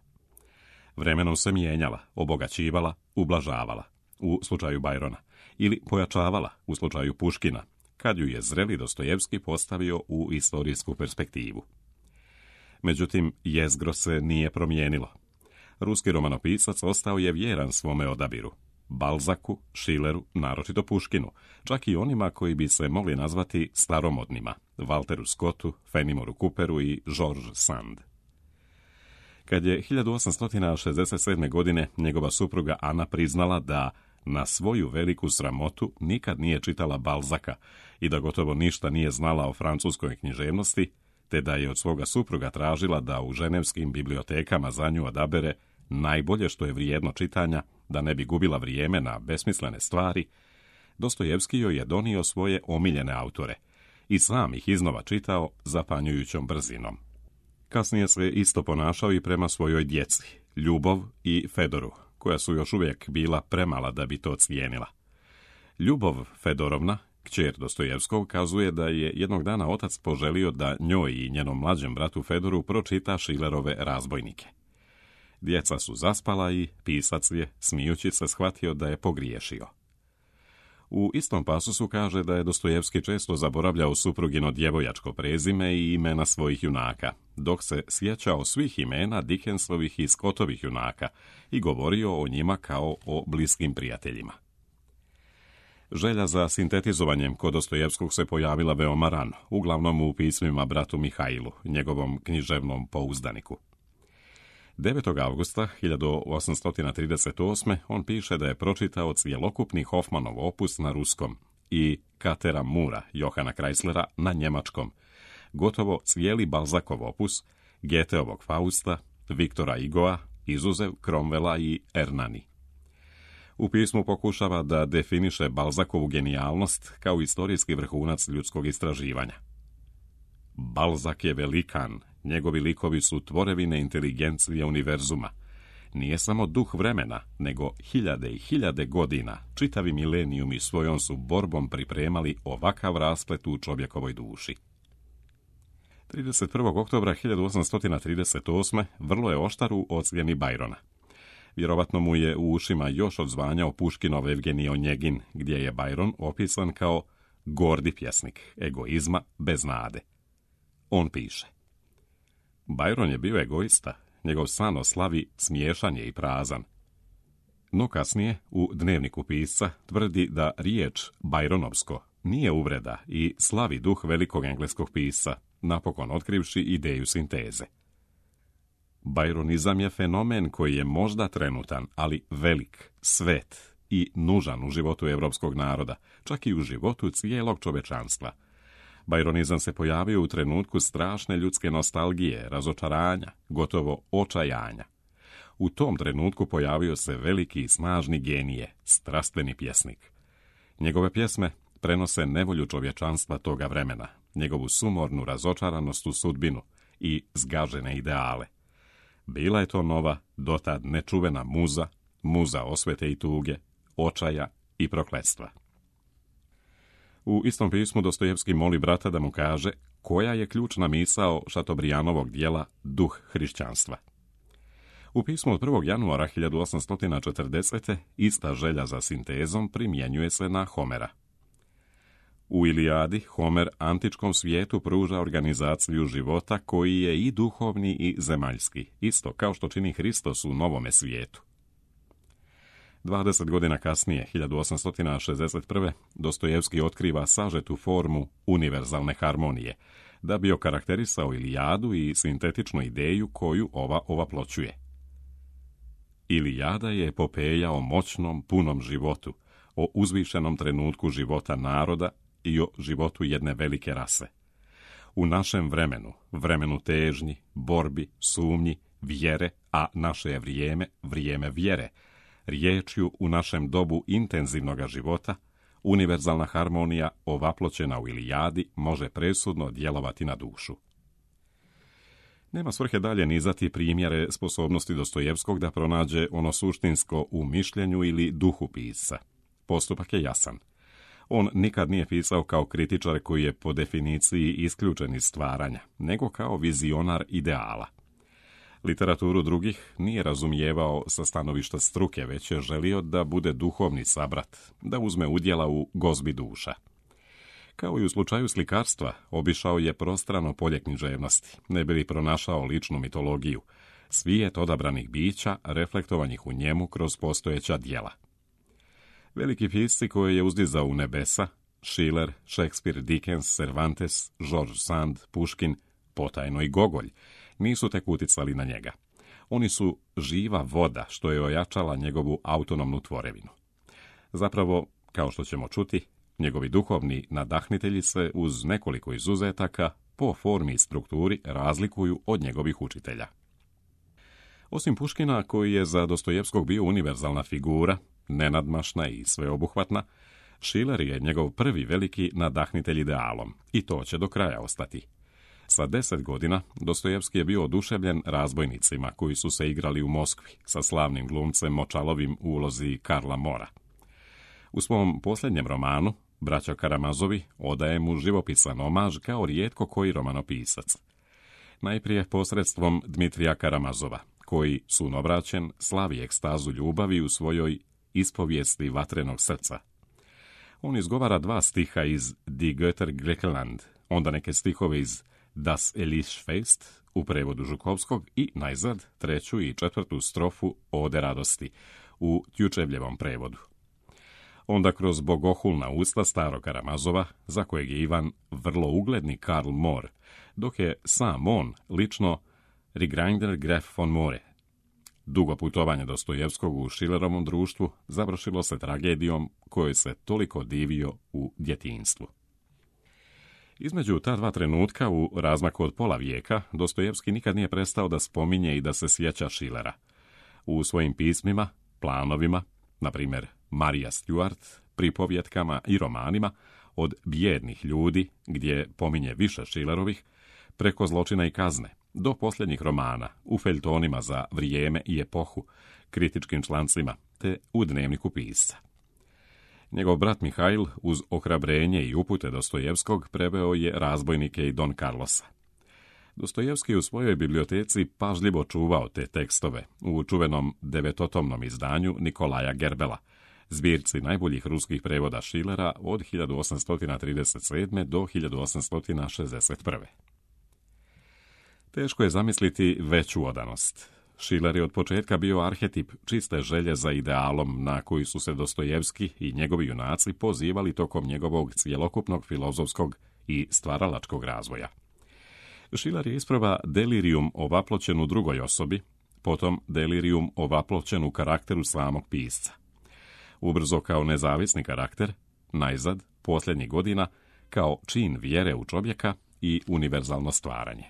Vremenom se mijenjala, obogaćivala, ublažavala, u slučaju Bajrona, ili pojačavala, u slučaju Puškina, kad ju je zreli Dostojevski postavio u istorijsku perspektivu. Međutim, jezgro se nije promijenilo. Ruski romanopisac ostao je vjeran svome odabiru. Balzacu, Schilleru, naročito Puškinu, čak i onima koji bi se mogli nazvati staromodnima, Walteru Scottu, Fenimoru Cooperu i George Sand. Kad je hiljadu osamsto šezdeset sedme. godine njegova supruga Ana priznala da na svoju veliku sramotu nikad nije čitala Balzaca i da gotovo ništa nije znala o francuskoj književnosti, te da je od svoga supruga tražila da u ženevskim bibliotekama za nju odabere najbolje što je vrijedno čitanja, da ne bi gubila vrijeme na besmislene stvari, Dostojevski joj je donio svoje omiljene autore i sam ih iznova čitao zapanjujućom brzinom. Kasnije se isto ponašao i prema svojoj djeci, Ljubov i Fedoru, koja su još uvijek bila premala da bi to cijenila. Ljubov Fedorovna, kćer Dostojevskog, kazuje da je jednog dana otac poželio da njoj i njenom mlađem bratu Fedoru pročita Schillerove Razbojnike. Djeca su zaspala i pisac je, smijući se, shvatio da je pogriješio. U istom pasusu kaže da je Dostojevski često zaboravljao suprugino djevojačko prezime i imena svojih junaka, dok se sjećao svih imena Dickensovih i Scottovih junaka i govorio o njima kao o bliskim prijateljima. Želja za sintetizovanjem kod Dostojevskog se pojavila veoma rano, uglavnom u pismima bratu Mihailu, njegovom književnom pouzdaniku. devetog avgusta hiljadu osamsto trideset osme. on piše da je pročitao cjelokupni Hoffmanov opus na ruskom i Katera Mura, Johana Kreislera, na njemačkom, gotovo cijeli Balzacov opus, Goetheovog Fausta, Viktora Hugoa, izuzev Cromwella i Ernani. U pismu pokušava da definiše Balzacovu genijalnost kao istorijski vrhunac ljudskog istraživanja. Balzac je velikan, njegovi likovi su tvorevine inteligencije univerzuma. Nije samo duh vremena, nego hiljade i hiljade godina, čitavi milenijumi svojom su borbom pripremali ovakav rasplet u čovjekovoj duši. trideset prvog oktobra hiljadu osamsto trideset osme. vrlo je oštar u ocjeni Byrona. Vjerovatno mu je u ušima još odzvanjao Puškinov Evgenij Onjegin, gdje je Byron opisan kao gordi pjesnik, egoizma bez nade. On piše: Byron je bio egoista, njegov san o slavi smiješan je i prazan. No kasnije, u dnevniku pisca, tvrdi da riječ Byronovsko nije uvreda i slavi duh velikog engleskog pisca, napokon otkrivši ideju sinteze. Byronizam je fenomen koji je možda trenutan, ali velik, svet i nužan u životu europskog naroda, čak i u životu cijelog čovečanstva. Byronizam se pojavio u trenutku strašne ljudske nostalgije, razočaranja, gotovo očajanja. U tom trenutku pojavio se veliki i snažni genije, strastveni pjesnik. Njegove pjesme prenose nevolju čovječanstva toga vremena, njegovu sumornu razočaranost u sudbinu i zgažene ideale. Bila je to nova, dotad nečuvena muza, muza osvete i tuge, očaja i prokletstva. U istom pismu Dostojevski moli brata da mu kaže koja je ključna misao Šatobrijanovog dijela Duh hrišćanstva. U pismu od prvog januara hiljadu osamsto četrdesete. ista želja za sintezom primjenjuje se na Homera. U Ilijadi Homer antičkom svijetu pruža organizaciju života koji je i duhovni i zemaljski, isto kao što čini Hristos u novome svijetu. dvadeset godina kasnije, hiljadu osamsto šezdeset prve. Dostojevski otkriva sažetu formu univerzalne harmonije, da bi okarakterisao Ilijadu i sintetičnu ideju koju ova ovaploćuje. Ilijada je epopeja o moćnom, punom životu, o uzvišenom trenutku života naroda i o životu jedne velike rase. U našem vremenu, vremenu težnji, borbi, sumnji, vjere, a naše je vrijeme, vrijeme vjere, riječju u našem dobu intenzivnog života, univerzalna harmonija ovaploćena u Ilijadi može presudno djelovati na dušu. Nema svrhe dalje nizati primjere sposobnosti Dostojevskog da pronađe ono suštinsko u mišljenju ili duhu pisca. Postupak je jasan. On nikad nije pisao kao kritičar koji je po definiciji isključen iz stvaranja, nego kao vizionar ideala. Literaturu drugih nije razumijevao sa stanovišta struke, već je želio da bude duhovni sabrat, da uzme udjela u gozbi duša. Kao i u slučaju slikarstva, obišao je prostrano polje književnosti, ne bi li pronašao ličnu mitologiju, svijet odabranih bića reflektovanih u njemu kroz postojeća djela. Veliki pisci koje je uzdizao u nebesa, Schiller, Shakespeare, Dickens, Cervantes, George Sand, Puškin, potajno i Gogolj, nisu tek uticali na njega. Oni su živa voda što je ojačala njegovu autonomnu tvorevinu. Zapravo, kao što ćemo čuti, njegovi duhovni nadahnitelji se uz nekoliko izuzetaka po formi i strukturi razlikuju od njegovih učitelja. Osim Puškina, koji je za Dostojevskog bio univerzalna figura, nenadmašna i sveobuhvatna, Schiller je njegov prvi veliki nadahnitelj idealom, i to će do kraja ostati. Sa deset godina Dostojevski je bio oduševljen razbojnicima koji su se igrali u Moskvi sa slavnim glumcem Močalovim u ulozi Karla Mora. U svom posljednjem romanu, Braća Karamazovi, odaje mu živopisan omaž kao rijetko koji romanopisac. Najprije posredstvom Dmitrija Karamazova, koji, sunobraćen, slavi ekstazu ljubavi u svojoj Ispovijesti vatrenog srca. On izgovara dva stiha iz Die Götter Griechenland, onda neke stihove iz Das Elise Fest u prevodu Žukovskog i najzad treću i četvrtu strofu Ode radosti u Tjučevljevom prevodu. Onda kroz bogohulna usta starog Karamazova, za kojeg je Ivan vrlo ugledni Karl Moor, dok je sam on lično Rigrinder Graf von More. Dugo putovanje Dostojevskog u Schillerovom društvu završilo se tragedijom kojoj se toliko divio u djetinjstvu. Između ta dva trenutka u razmaku od pola vijeka Dostojevski nikad nije prestao da spominje i da se sjeća Schillera. U svojim pismima, planovima, na primjer Marija Stuart, pripovjetkama i romanima, od Bijednih ljudi, gdje pominje više Schillerovih, preko Zločina i kazne, do posljednjih romana, u feljtonima za Vrijeme i epohu, kritičkim člancima, te u dnevniku pisca. Njegov brat Mihail, uz ohrabrenje i upute Dostojevskog, preveo je Razbojnike i Don Carlosa. Dostojevski u svojoj biblioteci pažljivo čuvao te tekstove u čuvenom devetotomnom izdanju Nikolaja Gerbela, zbirci najboljih ruskih prevoda Schillera od hiljadu osamsto trideset sedme. do hiljadu osamsto šezdeset prve. Teško je zamisliti veću odanost. Schiller je od početka bio arhetip čiste želje za idealom na koji su se Dostojevski i njegovi junaci pozivali tokom njegovog cjelokupnog filozofskog i stvaralačkog razvoja. Schiller je isprva delirium ovaploćen u drugoj osobi, potom delirium ovaploćen u karakteru samog pisca. Ubrzo kao nezavisni karakter, najzad, posljednjih godina, kao čin vjere u čovjeka i univerzalno stvaranje.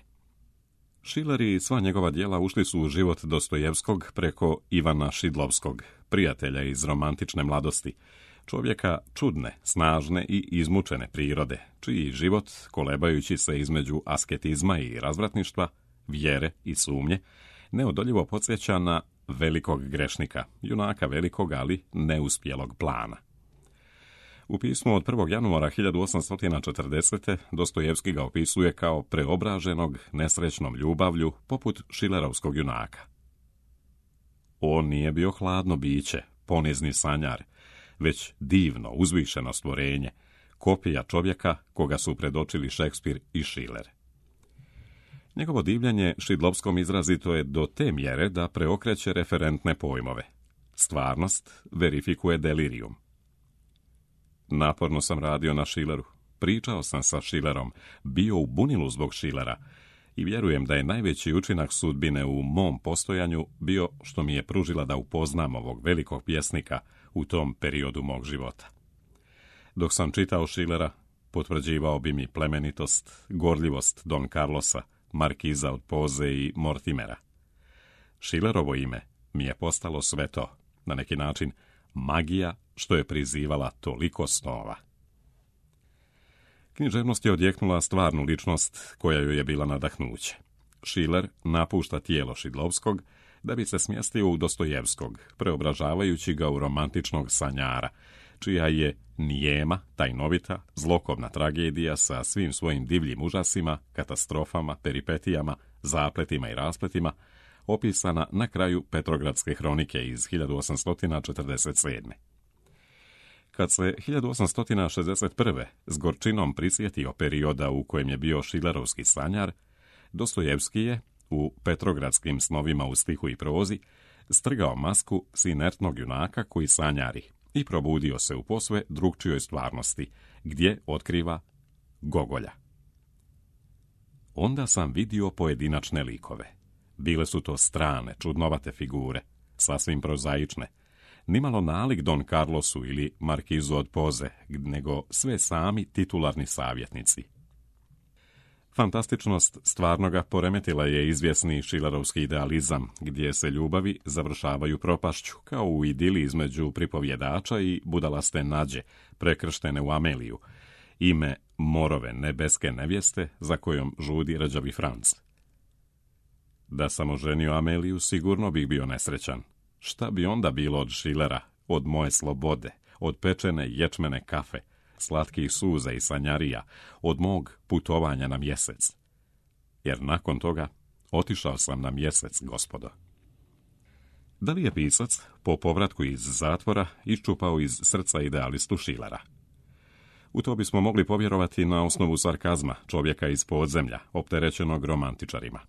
Schiller i sva njegova djela ušli su u život Dostojevskog preko Ivana Šidlovskog, prijatelja iz romantične mladosti, čovjeka čudne, snažne i izmučene prirode, čiji život, kolebajući se između asketizma i razvratništva, vjere i sumnje, neodoljivo podsjeća na velikog grešnika, junaka velikog, ali neuspjelog plana. U pismu od prvog januara hiljadu osamsto četrdesete. Dostojevski ga opisuje kao preobraženog nesrećnom ljubavlju poput Schillerovskog junaka. On nije bio hladno biće, ponizni sanjar, već divno, uzvišeno stvorenje, kopija čovjeka koga su predočili Shakespeare i Schiller. Njegovo divljenje Šidlovskom izrazito je do te mjere da preokreće referentne pojmove. Stvarnost verifikuje delirium. Naporno sam radio na Schilleru, pričao sam sa Schillerom, bio u bunilu zbog Schillera i vjerujem da je najveći učinak sudbine u mom postojanju bio što mi je pružila da upoznam ovog velikog pjesnika u tom periodu mog života. Dok sam čitao Schillera, potvrđivao bi mi plemenitost, gorljivost Don Carlosa, Markiza od Poze i Mortimera. Schillerovo ime mi je postalo sve to, na neki način magija što je prizivala toliko snova. Književnost je odjeknula stvarnu ličnost koja joj je bila nadahnuće. Schiller napušta tijelo Šidlovskog da bi se smjestio u Dostojevskog, preobražavajući ga u romantičnog sanjara, čija je nijema, tajnovita, zlokobna tragedija sa svim svojim divljim užasima, katastrofama, peripetijama, zapletima i raspletima, opisana na kraju Petrogradske hronike iz hiljadu osamsto četrdeset sedme. Kad se hiljadu osamsto šezdeset prve s gorčinom prisjetio perioda u kojem je bio šilerovski sanjar, Dostojevski je, u Petrogradskim snovima u stihu i prozi, strgao masku s inertnog junaka koji sanjari i probudio se u posve drugčijoj stvarnosti, gdje otkriva Gogolja. Onda sam vidio pojedinačne likove. Bile su to strane, čudnovate figure, sasvim prozaične, nimalo nalik Don Carlosu ili Markizu od Poze, nego sve sami titularni savjetnici. Fantastičnost stvarnoga poremetila je izvjesni šilerovski idealizam, gdje se ljubavi završavaju propašću, kao u idili između pripovjedača i budalaste Nađe, prekrštene u Ameliju, ime Morove nebeske nevjeste za kojom žudi rđavi Franc. Da sam oženio Ameliju, sigurno bih bio nesrećan. Šta bi onda bilo od Šilera, od moje slobode, od pečene ječmene kafe, slatkih suza i sanjarija, od mog putovanja na mjesec? Jer nakon toga otišao sam na mjesec, gospodo. Da li je pisac, po povratku iz zatvora, iščupao iz srca idealistu Šilera? U to bismo mogli povjerovati na osnovu sarkazma čovjeka iz podzemlja, opterećenog romantičarima.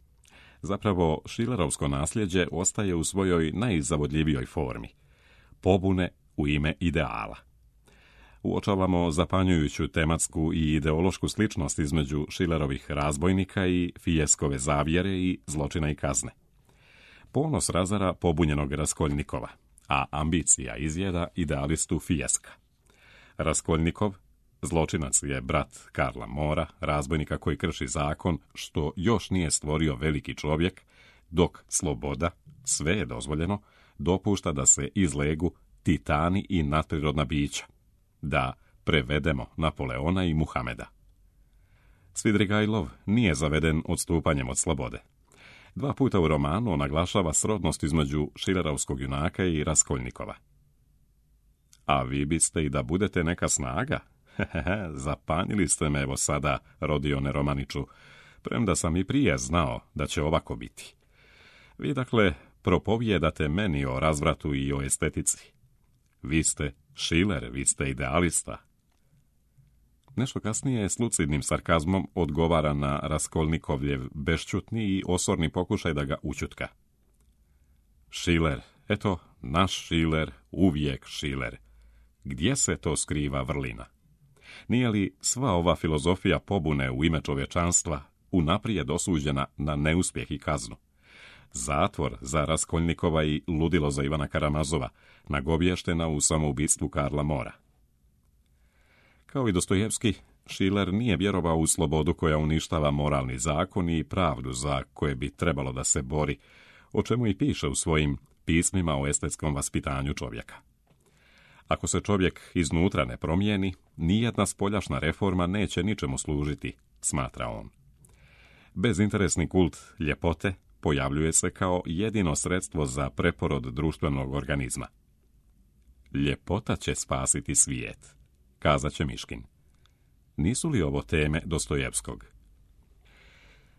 Zapravo, šilerovsko nasljeđe ostaje u svojoj najzavodljivijoj formi. Pobune u ime ideala. Uočavamo zapanjujuću tematsku i ideološku sličnost između Šilerovih razbojnika i Fijeskove zavjere i zločina i kazne. Ponos razara pobunjenog Raskoljnikova, a ambicija izjeda idealistu Fijeska. Raskoljnikov, zločinac, je brat Karla Mora, razbojnika koji krši zakon, što još nije stvorio veliki čovjek, dok sloboda, sve je dozvoljeno, dopušta da se izlegu titani i nadprirodna bića. Da prevedemo Napoleona i Muhameda. Svidrigajlov nije zaveden odstupanjem od slobode. Dva puta u romanu naglašava srodnost između šilerovskog junaka i Raskoljnikova. A vi biste i da budete neka snaga? Hehehe, zapanjili ste me evo sada, Rodione Romaniću, premda sam i prije znao da će ovako biti. Vi dakle propovijedate meni o razvratu i o estetici. Vi ste Šiler, vi ste idealista. Nešto kasnije s lucidnim sarkazmom odgovara na Raskolnikovljev bešćutni i osorni pokušaj da ga učutka. Šiler, eto, naš Šiler, uvijek Šiler. Gdje se to skriva vrlina? Nije li sva ova filozofija pobune u ime čovječanstva unaprijed osuđena na neuspjeh i kaznu? Zatvor za Raskoljnikova i ludilo za Ivana Karamazova, nagovještena u samoubistvu Karla Mora. Kao i Dostojevski, Šiler nije vjerovao u slobodu koja uništava moralni zakon i pravdu za koje bi trebalo da se bori, o čemu i piše u svojim pismima o estetskom vaspitanju čovjeka. Ako se čovjek iznutra ne promijeni, nijedna spoljašna reforma neće ničemu služiti, smatra on. Bezinteresni kult ljepote pojavljuje se kao jedino sredstvo za preporod društvenog organizma. Ljepota će spasiti svijet, kazat će Miškin. Nisu li ovo teme Dostojevskog?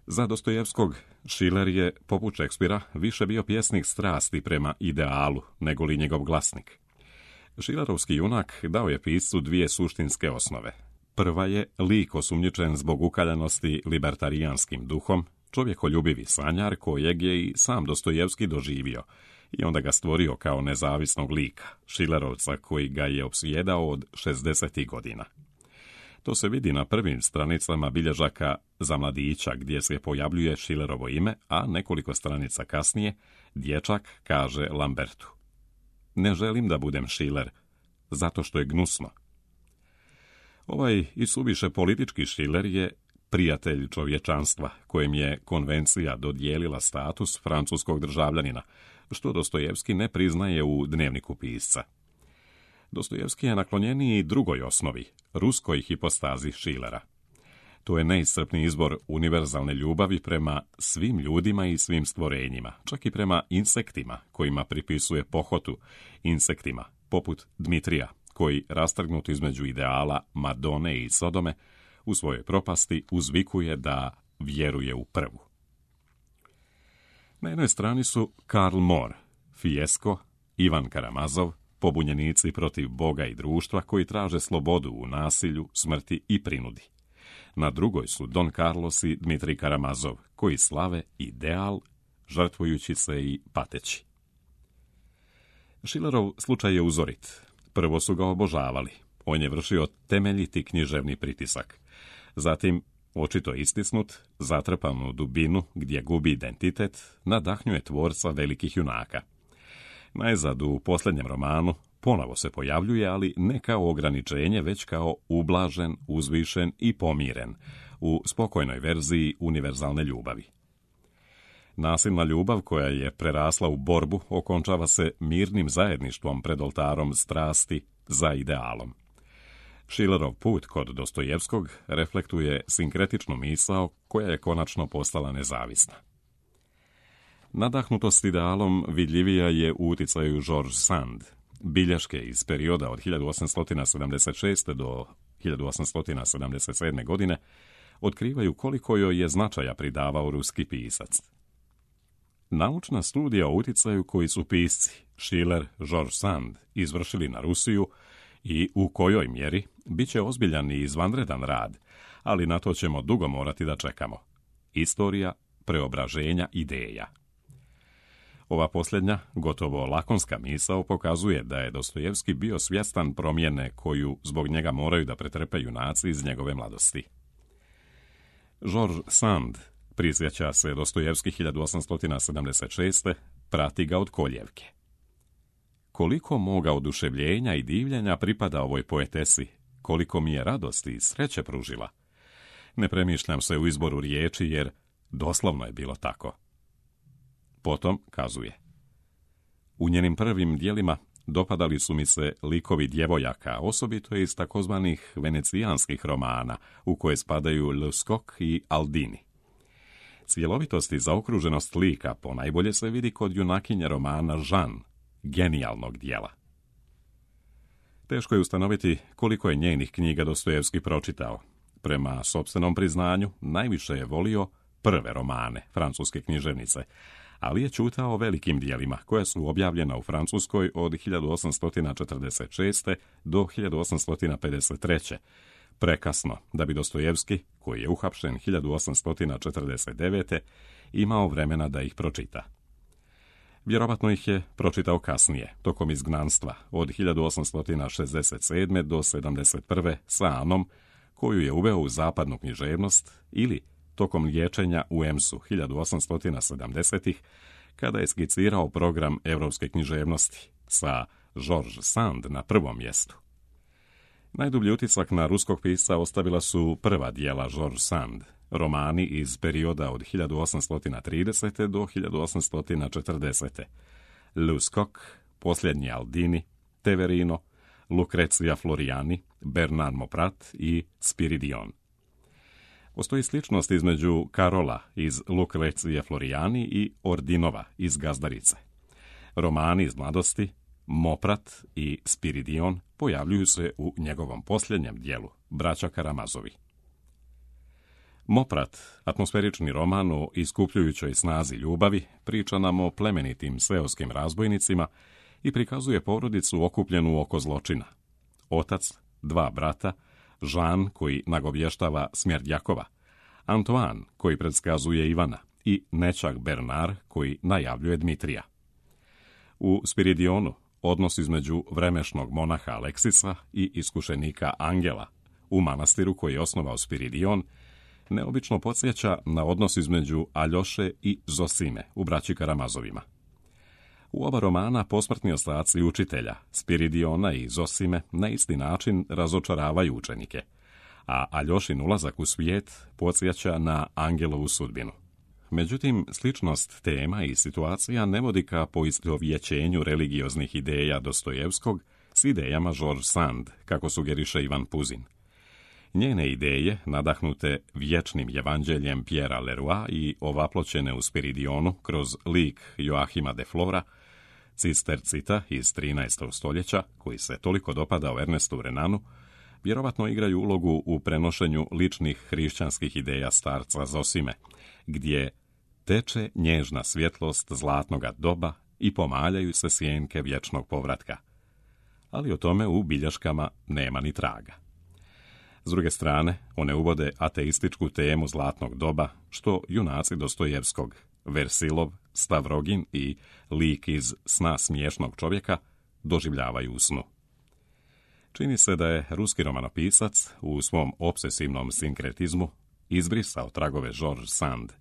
Za Dostojevskog, Šiler je, poput Šekspira, više bio pjesnik strasti prema idealu, nego li njegov glasnik. Šilerovski junak dao je piscu dvije suštinske osnove. Prva je lik osumnjičen zbog ukaljanosti libertarijanskim duhom, čovjekoljubivi sanjar kojeg je i sam Dostojevski doživio i onda ga stvorio kao nezavisnog lika, Šilerovca koji ga je opsjedao od šezdesetih godina. To se vidi na prvim stranicama bilježaka za mladića gdje se pojavljuje Šilerovo ime, a nekoliko stranica kasnije dječak kaže Lambertu: ne želim da budem Šiler, zato što je gnusno. Ovaj i suviše politički Šiler je prijatelj čovječanstva, kojem je konvencija dodijelila status francuskog državljanina, što Dostojevski ne priznaje u dnevniku pisca. Dostojevski je naklonjeniji drugoj osnovi, ruskoj hipostazi Šilera. To je neiscrpni izbor univerzalne ljubavi prema svim ljudima i svim stvorenjima, čak i prema insektima, kojima pripisuje pohotu, insektima, poput Dmitrija, koji, rastrgnut između ideala Madone i Sodome, u svojoj propasti uzvikuje da vjeruje u prvu. Na jednoj strani su Karl Mor, Fijesko, Ivan Karamazov, pobunjenici protiv Boga i društva koji traže slobodu u nasilju, smrti i prinudi. Na drugoj su Don Carlos i Dmitrij Karamazov, koji slave ideal, žrtvujući se i pateći. Schillerov slučaj je uzorit. Prvo su ga obožavali. On je vršio temeljiti književni pritisak. Zatim, očito istisnut, zatrpan u dubinu gdje gubi identitet, nadahnjuje tvorca velikih junaka. Najzad u posljednjem romanu ponovo se pojavljuje, ali ne kao ograničenje, već kao ublažen, uzvišen i pomiren, u spokojnoj verziji univerzalne ljubavi. Nasilna ljubav koja je prerasla u borbu okončava se mirnim zajedništvom pred oltarom strasti za idealom. Schillerov put kod Dostojevskog reflektuje sinkretičnu misao koja je konačno postala nezavisna. Nadahnutost idealom vidljivija je u uticaju George Sand. Bilješke iz perioda od hiljadu osamsto sedamdeset šeste. do hiljadu osamsto sedamdeset sedme. godine otkrivaju koliko joj je značaja pridavao ruski pisac. Naučna studija o uticaju koji su pisci Schiller, George Sand izvršili na Rusiju i u kojoj mjeri bit će ozbiljan i izvanredan rad, ali na to ćemo dugo morati da čekamo. Istorija preobraženja ideja. Ova posljednja, gotovo lakonska misao pokazuje da je Dostojevski bio svjestan promjene koju zbog njega moraju da pretrpe junaci iz njegove mladosti. George Sand prisjeća se Dostojevski hiljadu osamsto sedamdeset šeste. Prati ga od koljevke. Koliko moga oduševljenja i divljenja pripada ovoj poetesi, koliko mi je radosti i sreće pružila. Ne premišljam se u izboru riječi jer doslovno je bilo tako. Potom kazuje: u njenim prvim dijelima dopadali su mi se likovi djevojaka, osobito iz takozvanih venecijanskih romana, u koje spadaju Luscok i Aldini. Cjelovitost i zaokruženost lika ponajbolje se vidi kod junakinje romana Žan, genijalnog dijela. Teško je ustanoviti koliko je njenih knjiga Dostojevski pročitao. Prema sopstvenom priznanju, najviše je volio prve romane, francuske književnice, ali je ćutao o velikim dijelima, koja su objavljena u Francuskoj od hiljadu osamsto četrdeset šeste. do hiljadu osamsto pedeset treće. Prekasno da bi Dostojevski, koji je uhapšen hiljadu osamsto četrdeset devete. imao vremena da ih pročita. Vjerovatno ih je pročitao kasnije, tokom izgnanstva, od hiljadu osamsto šezdeset sedme. do sedamdeset prve. sa Anom, koju je uveo u zapadnu književnost, ili tokom liječenja u Emsu hiljadu osamsto sedamdesetih. kada je skicirao program evropske književnosti, sa George Sand na prvom mjestu. Najdublji utisak na ruskog pisca ostavila su prva dijela George Sand, romani iz perioda od hiljadu osamsto tridesete. do hiljadu osamsto četrdesete. Luscok, Posljednji Aldini, Teverino, Lucrezia Floriani, Bernard Mauprat i Spiridion. Postoji sličnost između Karola iz Lucrecije Floriani i Ordinova iz Gazdarice. Romani iz mladosti, Mauprat i Spiridion, pojavljuju se u njegovom posljednjem dijelu, Braća Karamazovi. Mauprat, atmosferični roman o iskupljujućoj snazi ljubavi, priča nam o plemenitim seoskim razbojnicima i prikazuje porodicu okupljenu oko zločina. Otac, dva brata, Jean koji nagovještava smrt Jakova, Antoine koji predskazuje Ivana i nećak Bernard koji najavljuje Dmitrija. U Spiridionu odnos između vremešnog monaha Aleksisa i iskušenika Angela u manastiru koji je osnovao Spiridion neobično podsjeća na odnos između Aljoše i Zosime u Braći Karamazovima. U oba romana posmrtni ostaci učitelja, Spiridiona i Zosime, na isti način razočaravaju učenike, a Aljošin ulazak u svijet podsjeća na Angelovu sudbinu. Međutim, sličnost tema i situacija ne vodi ka poistovjećenju religioznih ideja Dostojevskog s idejama George Sand, kako sugeriše Ivan Puzin. Njene ideje, nadahnute vječnim evanđeljem Pierra Leroy i ovaploćene u Spiridionu kroz lik Joachima de Flora, cistercita iz trinaestog stoljeća, koji se toliko dopadao Ernestu Renanu, vjerovatno igraju ulogu u prenošenju ličnih hrišćanskih ideja starca Zosime, gdje teče nježna svjetlost zlatnoga doba i pomaljaju se sjenke vječnog povratka. ali o tome u bilješkama nema ni traga. S druge strane, one uvode ateističku temu zlatnog doba, što junaci Dostojevskog, Versilov, Stavrogin i lik iz Sna smiješnog čovjeka doživljavaju u snu. Čini se da je ruski romanopisac u svom obsesivnom sinkretizmu izbrisao tragove George Sand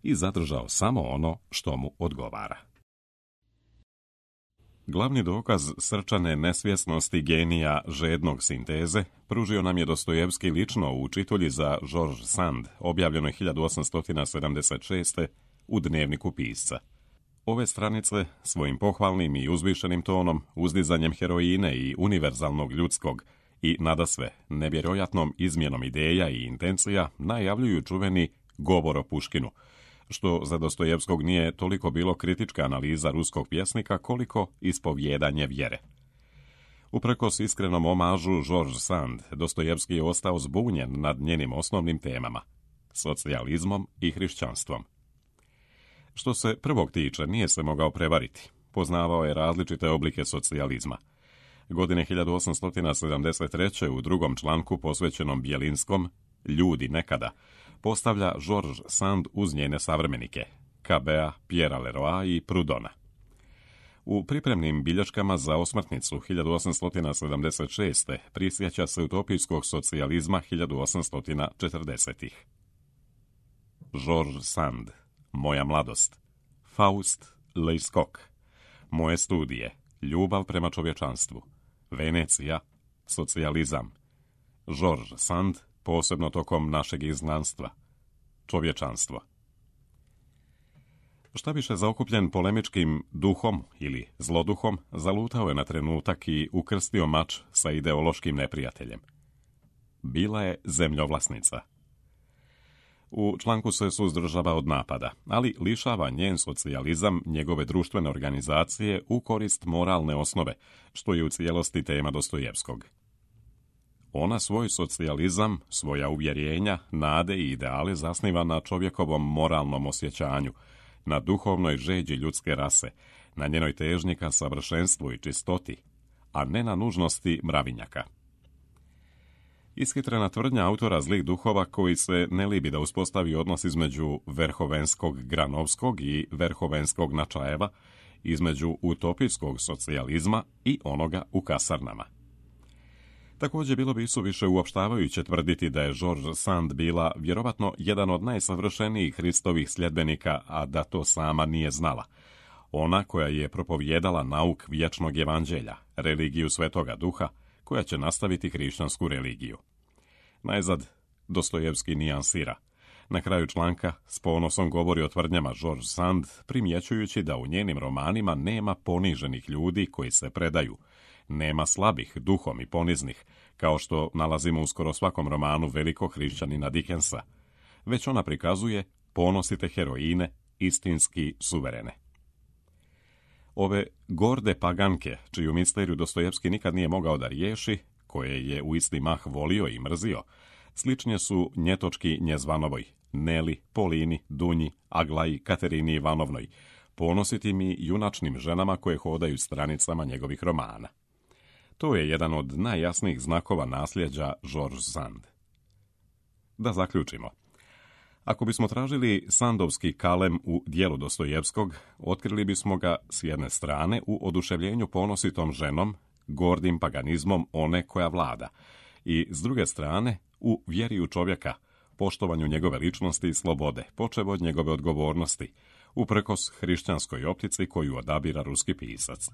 i zadržao samo ono što mu odgovara. Glavni dokaz srčane nesvjesnosti genija žednog sinteze pružio nam je Dostojevski lično u čitulji za George Sand, objavljenoj hiljadu osamsto sedamdeset šeste. u Dnevniku pisca. Ove stranice svojim pohvalnim i uzvišenim tonom, uzdizanjem heroine i univerzalnog ljudskog i nadasve nevjerojatnom izmjenom ideja i intencija najavljuju čuveni govor o Puškinu, što za Dostojevskog nije toliko bilo kritička analiza ruskog pjesnika koliko ispovjedanje vjere. Uprkos iskrenom omažu George Sand, Dostojevski je ostao zbunjen nad njenim osnovnim temama, socijalizmom i hrišćanstvom. Što se prvog tiče, nije se mogao prevariti. Poznavao je različite oblike socijalizma. Godine hiljadu osamsto sedamdeset treće. u drugom članku posvećenom Bjelinskom, Ljudi nekada, postavlja George Sand uz njene savremenike, Cabea, Pierre Leroy i Proudhona. U pripremnim bilješkama za osmrtnicu hiljadu osamsto sedamdeset šeste. prisjeća se utopijskog socijalizma hiljadu osamsto četrdesetih. George Sand, Moja mladost, Faust, Leiscoq, Moje studije, Ljubav prema čovječanstvu, Venecija, Socijalizam, George Sand, posebno tokom našeg izgnanstva, Čovječanstvo. Šta više zaokupljen polemičkim duhom ili zloduhom, zalutao je na trenutak i ukrstio mač sa ideološkim neprijateljem. Bila je zemljovlasnica. U članku se suzdržava od napada, ali lišava njen socijalizam njegove društvene organizacije u korist moralne osnove, što je u cijelosti tema Dostojevskog. Ona svoj socijalizam, svoja uvjerenja, nade i ideale zasniva na čovjekovom moralnom osjećanju, na duhovnoj žeđi ljudske rase, na njenoj težnji ka savršenstvu i čistoti, a ne na nužnosti mravinjaka. Ishitrena tvrdnja autora Zlih duhova koji se ne libi da uspostavi odnos između verhovenskog Granovskog i verhovenskog Načajeva, između utopijskog socijalizma i onoga u kasarnama. Također bilo bi isuviše uopštavajuće tvrditi da je George Sand bila vjerovatno jedan od najsavršenijih Hristovih sljedbenika, a da to sama nije znala. Ona koja je propovjedala nauk vječnog evanđelja, religiju Svetoga Duha, koja će nastaviti hrišćansku religiju. Najzad, Dostojevski nijansira. Na kraju članka s ponosom govori o tvrdnjama George Sand, primjećujući da u njenim romanima nema poniženih ljudi koji se predaju, nema slabih, duhom i poniznih, kao što nalazimo u skoro svakom romanu velikog hrišćanina Dickensa, već ona prikazuje ponosite heroine, istinski suverene. Ove gorde paganke, čiju misteriju Dostojevski nikad nije mogao da riješi, koje je u isti mah volio i mrzio, sličnje su Njetočki Njezvanovoj, Neli, Polini, Dunji, Aglaji, Katerini Ivanovnoj, ponositim i junačnim ženama koje hodaju stranicama njegovih romana. To je jedan od najjasnijih znakova nasljeđa George Sand. Da zaključimo. Ako bismo tražili sandovski kalem u dijelu Dostojevskog, otkrili bismo ga s jedne strane u oduševljenju ponositom ženom, gordim paganizmom one koja vlada, i s druge strane u vjeri u čovjeka, poštovanju njegove ličnosti i slobode, počev od njegove odgovornosti, uprkos hrišćanskoj optici koju odabira ruski pisac.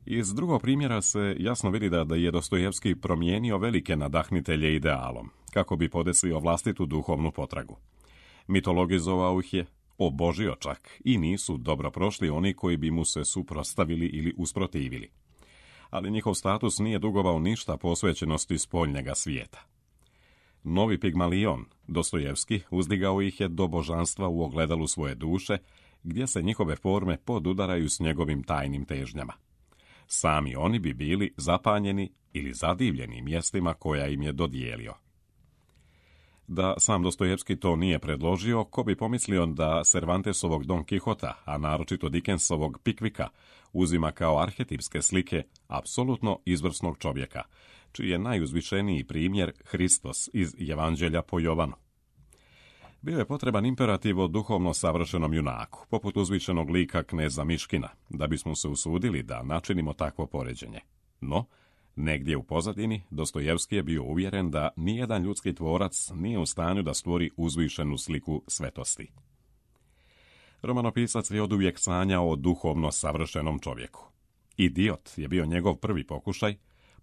Iz drugog primjera se jasno vidi da, da je Dostojevski promijenio velike nadahnitelje idealom, kako bi podesio vlastitu duhovnu potragu. Mitologizovao ih je, obožio čak, i nisu dobro prošli oni koji bi mu se suprotstavili ili usprotivili. Ali njihov status nije dugovao ništa posvećenosti spoljnjega svijeta. Novi Pigmalion, Dostojevski, uzdigao ih je do božanstva u ogledalu svoje duše, gdje se njihove forme podudaraju s njegovim tajnim težnjama. Sami oni bi bili zapanjeni ili zadivljeni mjestima koja im je dodijelio. Da sam Dostojevski to nije predložio, ko bi pomislio da Cervantesovog Don Quixota, a naročito Dickensovog Pickvicka, uzima kao arhetipske slike apsolutno izvrsnog čovjeka, čiji je najuzvišeniji primjer Hristos iz Evanđelja po Jovanu. Bio je potreban imperativ o duhovno savršenom junaku, poput uzvišenog lika kneza Miškina, da bismo se usudili da načinimo takvo poređenje. No, negdje u pozadini Dostojevski je bio uvjeren da nijedan ljudski tvorac nije u stanju da stvori uzvišenu sliku svetosti. Romanopisac je oduvijek sanjao o duhovno savršenom čovjeku. Idiot je bio njegov prvi pokušaj,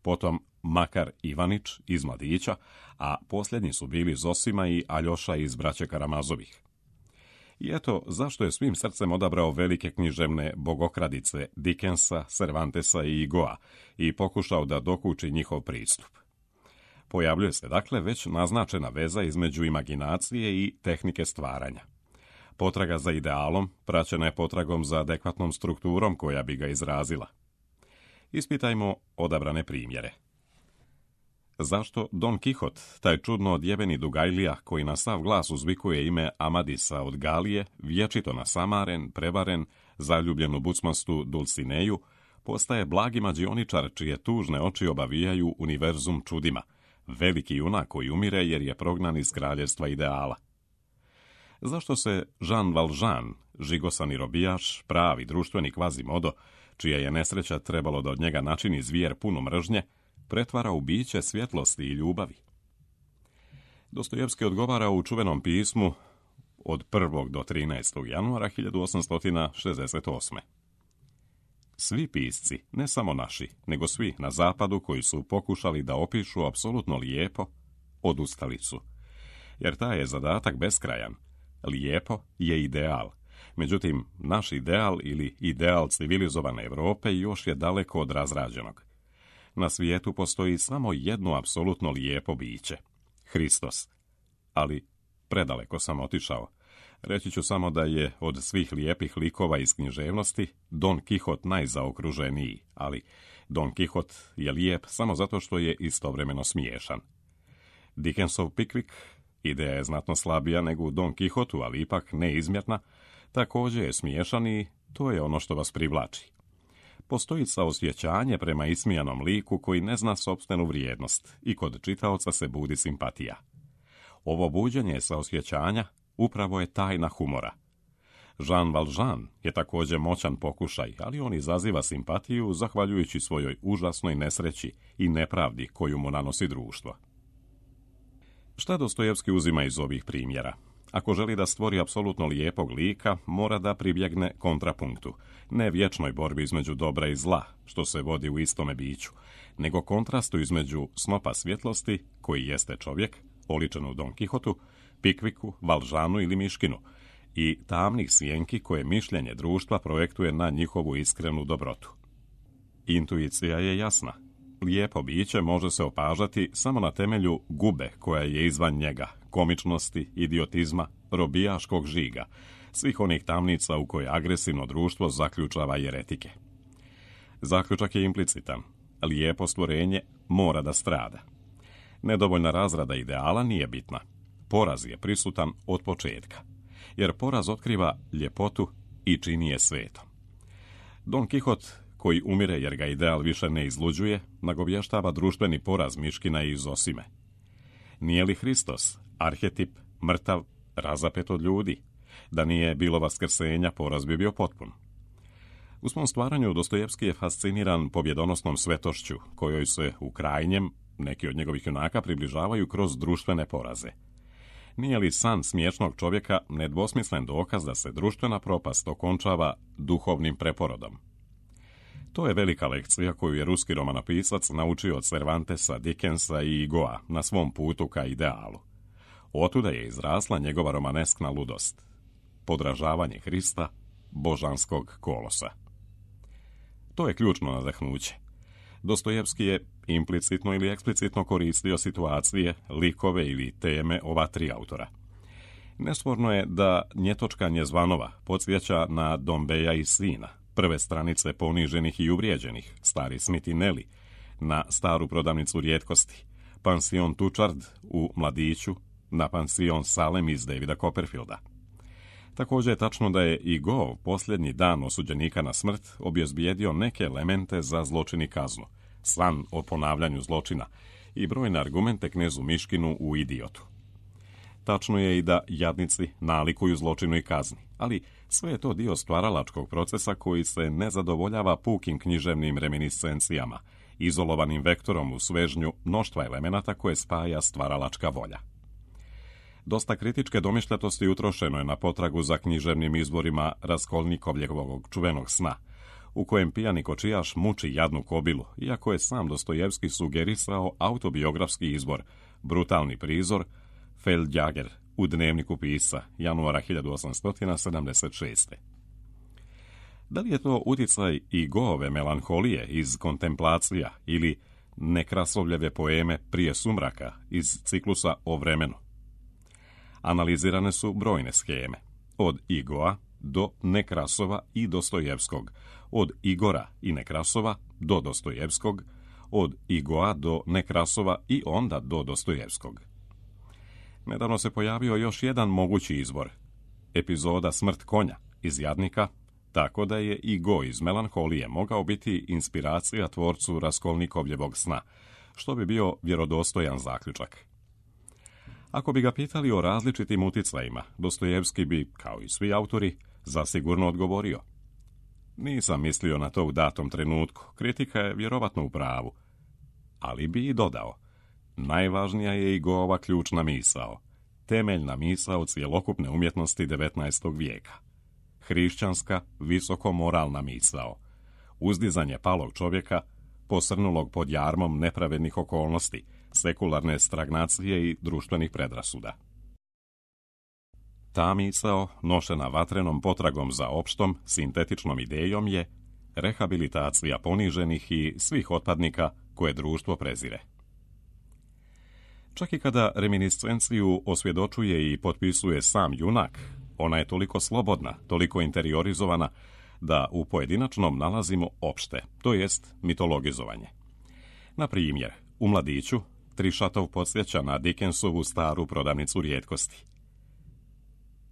potom Makar Ivanić iz Mladića, a posljednji su bili Zosima i Aljoša iz Braće Karamazovih. I eto zašto je svim srcem odabrao velike književne bogokradice Dickensa, Cervantesa i Igoa i pokušao da dokuči njihov pristup. Pojavljuje se dakle već naznačena veza između imaginacije i tehnike stvaranja. Potraga za idealom praćena je potragom za adekvatnom strukturom koja bi ga izrazila. Ispitajmo odabrane primjere. Zašto Don Quixote, taj čudno odjebeni Dugajlija koji na sav glas uzvikuje ime Amadisa od Galije, vječito nasamaren, prevaren, zaljubljen u bucmastu Dulcineju, postaje blagi mađioničar čije tužne oči obavijaju univerzum čudima, veliki junak koji umire jer je prognan iz kraljevstva ideala? Zašto se Jean Valjean, žigosani robijaš, pravi društveni kvazimodo, čija je nesreća trebalo da od njega načini zvijer punu mržnje, pretvara u biće svjetlosti i ljubavi? Dostojevski odgovara u čuvenom pismu od prvog do trinaestog januara hiljadu osamsto šezdeset osme. Svi pisci, ne samo naši, nego svi na zapadu koji su pokušali da opišu apsolutno lijepo, odustali su. Jer taj je zadatak beskrajan. Lijepo je ideal. Međutim, naš ideal ili ideal civilizovane Europe još je daleko od razrađenog. Na svijetu postoji samo jedno apsolutno lijepo biće. Hristos. Ali predaleko sam otišao. Reći ću samo da je od svih lijepih likova iz književnosti Don Quixote najzaokruženiji, ali Don Quixote je lijep samo zato što je istovremeno smiješan. Dickensov Pickwick, ideja je znatno slabija nego u Don Quixotu, ali ipak neizmjerna, također je smiješan i to je ono što vas privlači. Postoji saosjećanje prema ismijanom liku koji ne zna sopstvenu vrijednost i kod čitaoca se budi simpatija. Ovo buđenje saosjećanja upravo je tajna humora. Jean Valjean je također moćan pokušaj, ali on izaziva simpatiju zahvaljujući svojoj užasnoj nesreći i nepravdi koju mu nanosi društvo. Šta Dostojevski uzima iz ovih primjera? Ako želi da stvori apsolutno lijepog lika, mora da pribjegne kontrapunktu, ne vječnoj borbi između dobra i zla, što se vodi u istome biću, nego kontrastu između snopa svjetlosti, koji jeste čovjek, oličen u Don Quixotu, Pickvicku, Valjeanu ili Miškinu, i tamnih sjenki koje mišljenje društva projektuje na njihovu iskrenu dobrotu. Intuicija je jasna. Lijepo biće može se opažati samo na temelju gube koja je izvan njega, komičnosti, idiotizma, robijaškog žiga, svih onih tamnica u koje agresivno društvo zaključava jeretike. Zaključak je implicitan. Lijepo stvorenje mora da strada. Nedovoljna razrada ideala nije bitna. Poraz je prisutan od početka, jer poraz otkriva ljepotu i čini je svetom. Don Quixote, koji umire jer ga ideal više ne izluđuje, nagovještava društveni poraz Miškina i Zosime. Nije li Hristos arhetip, mrtav, razapet od ljudi? Da nije bilo vaskrsenja, poraz bi bio potpun. U svom stvaranju Dostojevski je fasciniran pobjedonosnom svetošću, kojoj se u krajnjem neki od njegovih junaka približavaju kroz društvene poraze. Nije li san smiješnog čovjeka nedvosmislen dokaz da se društvena propast okončava duhovnim preporodom? To je velika lekcija koju je ruski romanopisac naučio od Cervantesa, Dickensa i Igoa na svom putu ka idealu. Otuda je izrasla njegova romaneskna ludost. Podražavanje Hrista, božanskog kolosa. To je ključno nadahnuće. Dostojevski je implicitno ili eksplicitno koristio situacije, likove ili teme ova tri autora. Nesporno je da njetočkanje zvanova podsjeća na Dombeja i sina, prve stranice poniženih i uvrijeđenih, stari Smith i Nelly, na staru prodavnicu rijetkosti, pansion Tučard u Mladiću, na pansion Salem iz Davida Copperfielda. Također je tačno da je i Gov posljednji dan osuđenika na smrt obezbijedio neke elemente za zločin i kaznu, san o ponavljanju zločina i brojne argumente knezu Miškinu u Idiotu. Tačno je i da jadnici nalikuju zločinu i kazni, ali sve je to dio stvaralačkog procesa koji se ne zadovoljava pukim književnim reminiscencijama, izolovanim vektorom u svežnju mnoštva elemenata koje spaja stvaralačka volja. Dosta kritičke domišljatosti utrošeno je na potragu za književnim izvorima Raskolnikovljevog čuvenog sna, u kojem pijani kočijaš muči jadnu kobilu, iako je sam Dostojevski sugerisao autobiografski izbor, brutalni prizor, Feldjager u dnevniku pisca, januara hiljadu osamsto sedamdeset šeste. Da li je to utjecaj i Goove melanholije iz Kontemplacija ili Nekrasovljeve poeme Prije sumraka iz ciklusa O vremenu? Analizirane su brojne skeme, od Igoa do Nekrasova i Dostojevskog, od Igora i Nekrasova do Dostojevskog, od Igoa do Nekrasova i onda do Dostojevskog. Nedavno se pojavio još jedan mogući izvor, epizoda Smrt konja iz Jadnika, tako da je Igo iz Melanholije mogao biti inspiracija tvorcu Raskolnikovljevog sna, što bi bio vjerodostojan zaključak. Ako bi ga pitali o različitim uticajima, Dostojevski bi, kao i svi autori, zasigurno odgovorio: nisam mislio na to u datom trenutku, kritika je vjerovatno u pravu. Ali bi i dodao: najvažnija je Igova ključna misao, temeljna misao cjelokupne umjetnosti devetnaestog vijeka. Hrišćanska, visokomoralna misao, uzdizanje palog čovjeka, posrnulog pod jarmom nepravednih okolnosti, sekularne stagnacije i društvenih predrasuda. Ta misao, nošena vatrenom potragom za opštom, sintetičnom idejom, je rehabilitacija poniženih i svih otpadnika koje društvo prezire. Čak i kada reminiscenciju osvjedočuje i potpisuje sam junak, ona je toliko slobodna, toliko interiorizovana, da u pojedinačnom nalazimo opšte, to jest mitologizovanje. Na primjer, u Mladiću Trišatov podsjeća na Dickensovu staru prodavnicu rijetkosti.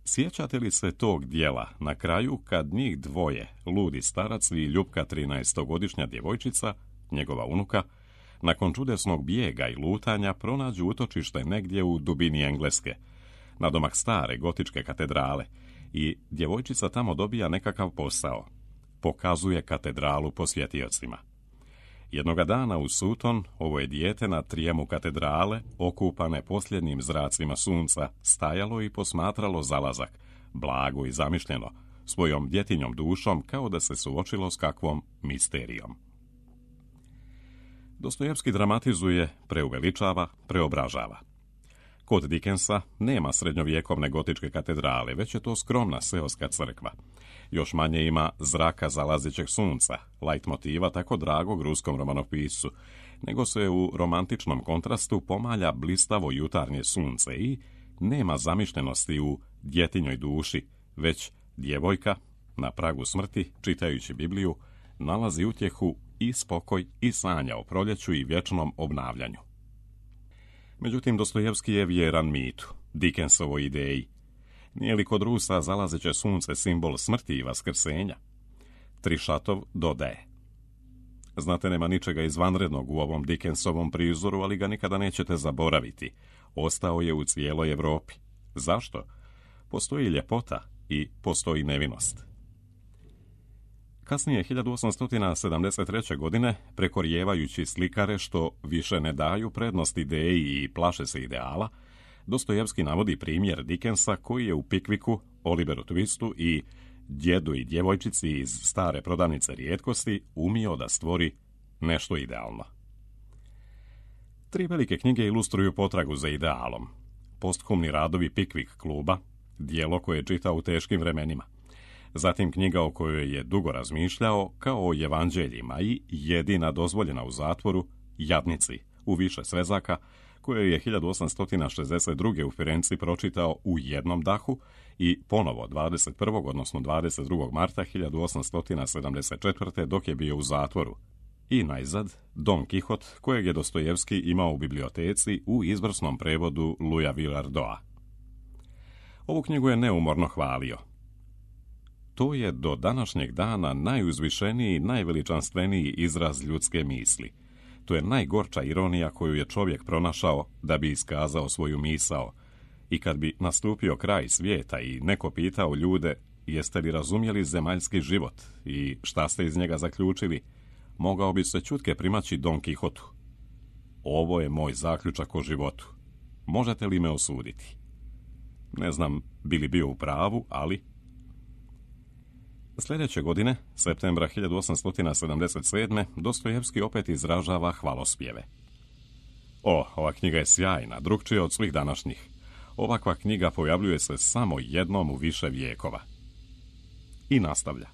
Sjećate li se tog dijela na kraju kad njih dvoje, ludi starac i ljubka trinaestogodišnja djevojčica, njegova unuka, nakon čudesnog bijega i lutanja pronađu utočište negdje u dubini Engleske, nadomak stare gotičke katedrale, i djevojčica tamo dobija nekakav posao. Pokazuje katedralu posjetiocima. Jednoga dana u Sutton ovo je dijete na trijemu katedrale, okupane posljednjim zracima sunca, stajalo i posmatralo zalazak, blago i zamišljeno, svojom djetinjom dušom, kao da se suočilo s kakvom misterijom. Dostojevski dramatizuje, preuveličava, preobražava. Kod Dickensa nema srednjovjekovne gotičke katedrale, već je to skromna seoska crkva. Još manje ima zraka zalazećeg sunca, lajtmotiva tako dragog ruskom romanopiscu, nego se u romantičnom kontrastu pomalja blistavo jutarnje sunce i nema zamišljenosti u djetinjoj duši, već djevojka, na pragu smrti, čitajući Bibliju, nalazi utjehu i spokoj i sanja o proljeću i vječnom obnavljanju. Međutim, Dostojevski je vjeran mitu, Dickensovoj ideji. Nije li kod Rusa zalazeće sunce simbol smrti i vaskrsenja? Trišatov dodaje: znate, nema ničega izvanrednog u ovom Dickensovom prizoru, ali ga nikada nećete zaboraviti. Ostao je u cijeloj Europi. Zašto? Postoji ljepota i postoji nevinost. Kasnije, hiljadu osamsto sedamdeset treće. godine, prekorijevajući slikare što više ne daju prednost ideji i plaše se ideala, Dostojevski navodi primjer Dickensa koji je u Pikviku, Oliveru Twistu i Djedu i djevojčici iz stare prodavnice rijetkosti umio da stvori nešto idealno. Tri velike knjige ilustruju potragu za idealom. Posthumni radovi Pikvik kluba, dijelo koje je čitao u teškim vremenima. Zatim knjiga o kojoj je dugo razmišljao, kao o evanđeljima, i jedina dozvoljena u zatvoru, Jadnici, u više svezaka, koje je hiljadu osamsto šezdeset druge. u Firenci pročitao u jednom dahu i ponovo dvadeset prvog odnosno dvadeset drugog marta hiljadu osamsto sedamdeset četvrte. dok je bio u zatvoru, I najzad, Don Kihot, kojeg je Dostojevski imao u biblioteci u izvrsnom prevodu Louisa Villardoa. Ovu knjigu je neumorno hvalio. To je do današnjeg dana najuzvišeniji, najveličanstveniji izraz ljudske misli. To je najgorča ironija koju je čovjek pronašao da bi iskazao svoju misao. I kad bi nastupio kraj svijeta i neko pitao ljude jeste li razumjeli zemaljski život i šta ste iz njega zaključili, mogao bi se čutke primaći Don Kihotu. Ovo je moj zaključak o životu. Možete li me osuditi? Ne znam bi li bio u pravu, ali... Sljedeće godine, septembra hiljadu osamsto sedamdeset sedme. Dostojevski opet izražava hvalospjeve. O, ova knjiga je sjajna, drukčija od svih današnjih. Ovakva knjiga pojavljuje se samo jednom u više vijekova. I nastavlja.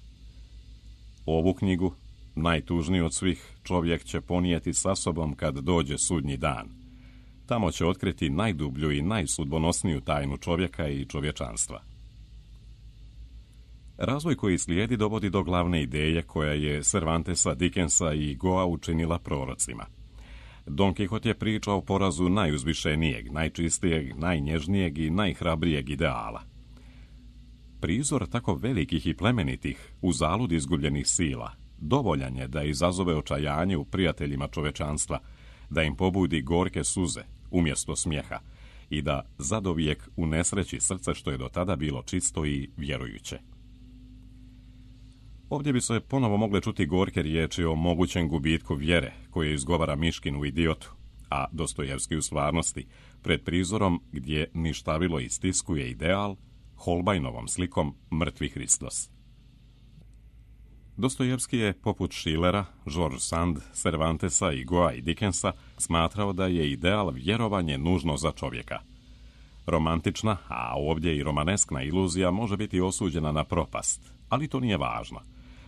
Ovu knjigu, najtužniju od svih, čovjek će ponijeti sa sobom kad dođe sudnji dan. Tamo će otkriti najdublju i najsudbonosniju tajnu čovjeka i čovječanstva. Razvoj koji slijedi dovodi do glavne ideje koja je Cervantesa, Dickensa i Goa učinila prorocima. Don Kihot je priča o porazu najuzvišenijeg, najčistijeg, najnježnijeg i najhrabrijeg ideala. Prizor tako velikih i plemenitih, uzalud izgubljenih sila, dovoljan je da izazove očajanje u prijateljima čovečanstva, da im pobudi gorke suze umjesto smijeha i da zadovijek unesreći srce što je do tada bilo čisto i vjerujuće. Ovdje bi se ponovo mogle čuti gorke riječi o mogućem gubitku vjere koje izgovara Miškin u Idiotu, a Dostojevski u Stvarnosti, pred prizorom gdje ništavilo istiskuje ideal, Holbajnovom slikom mrtvi Hristos. Dostojevski je, poput Schillera, George Sand, Cervantesa i Goa i Dickensa, smatrao da je ideal vjerovanje nužno za čovjeka. Romantična, a ovdje i romaneskna iluzija može biti osuđena na propast, ali to nije važno.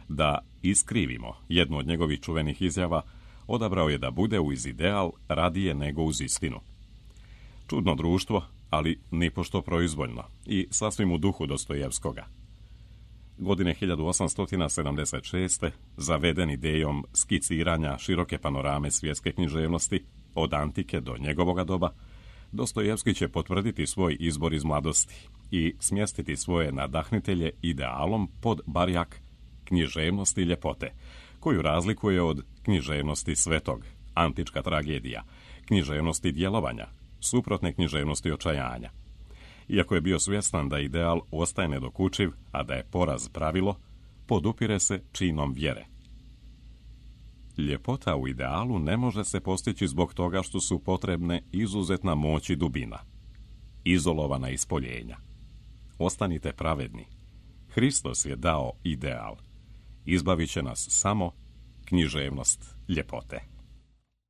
Da iskrivimo jednu od njegovih čuvenih izjava, odabrao je da bude uz ideal radije nego uz istinu. Čudno društvo, ali nipošto proizvoljno i sasvim u duhu Dostojevskoga. Godine hiljadu osamsto sedamdeset šeste. zaveden idejom skiciranja široke panorame svjetske književnosti, od antike do njegovoga doba, Dostojevski će potvrditi svoj izbor iz mladosti i smjestiti svoje nadahnitelje idealom pod barjak književnosti ljepote, koju razlikuje od književnosti svetog, antička tragedija, književnosti djelovanja, suprotne književnosti očajanja. Iako je bio svjestan da ideal ostaje nedokučiv, a da je poraz pravilo, podupire se činom vjere. Ljepota u idealu ne može se postići zbog toga što su potrebne izuzetna moć i dubina, izolovana ispoljenja. Ostanite pravedni. Hristos je dao ideal. Izbavit će nas samo književnost ljepote.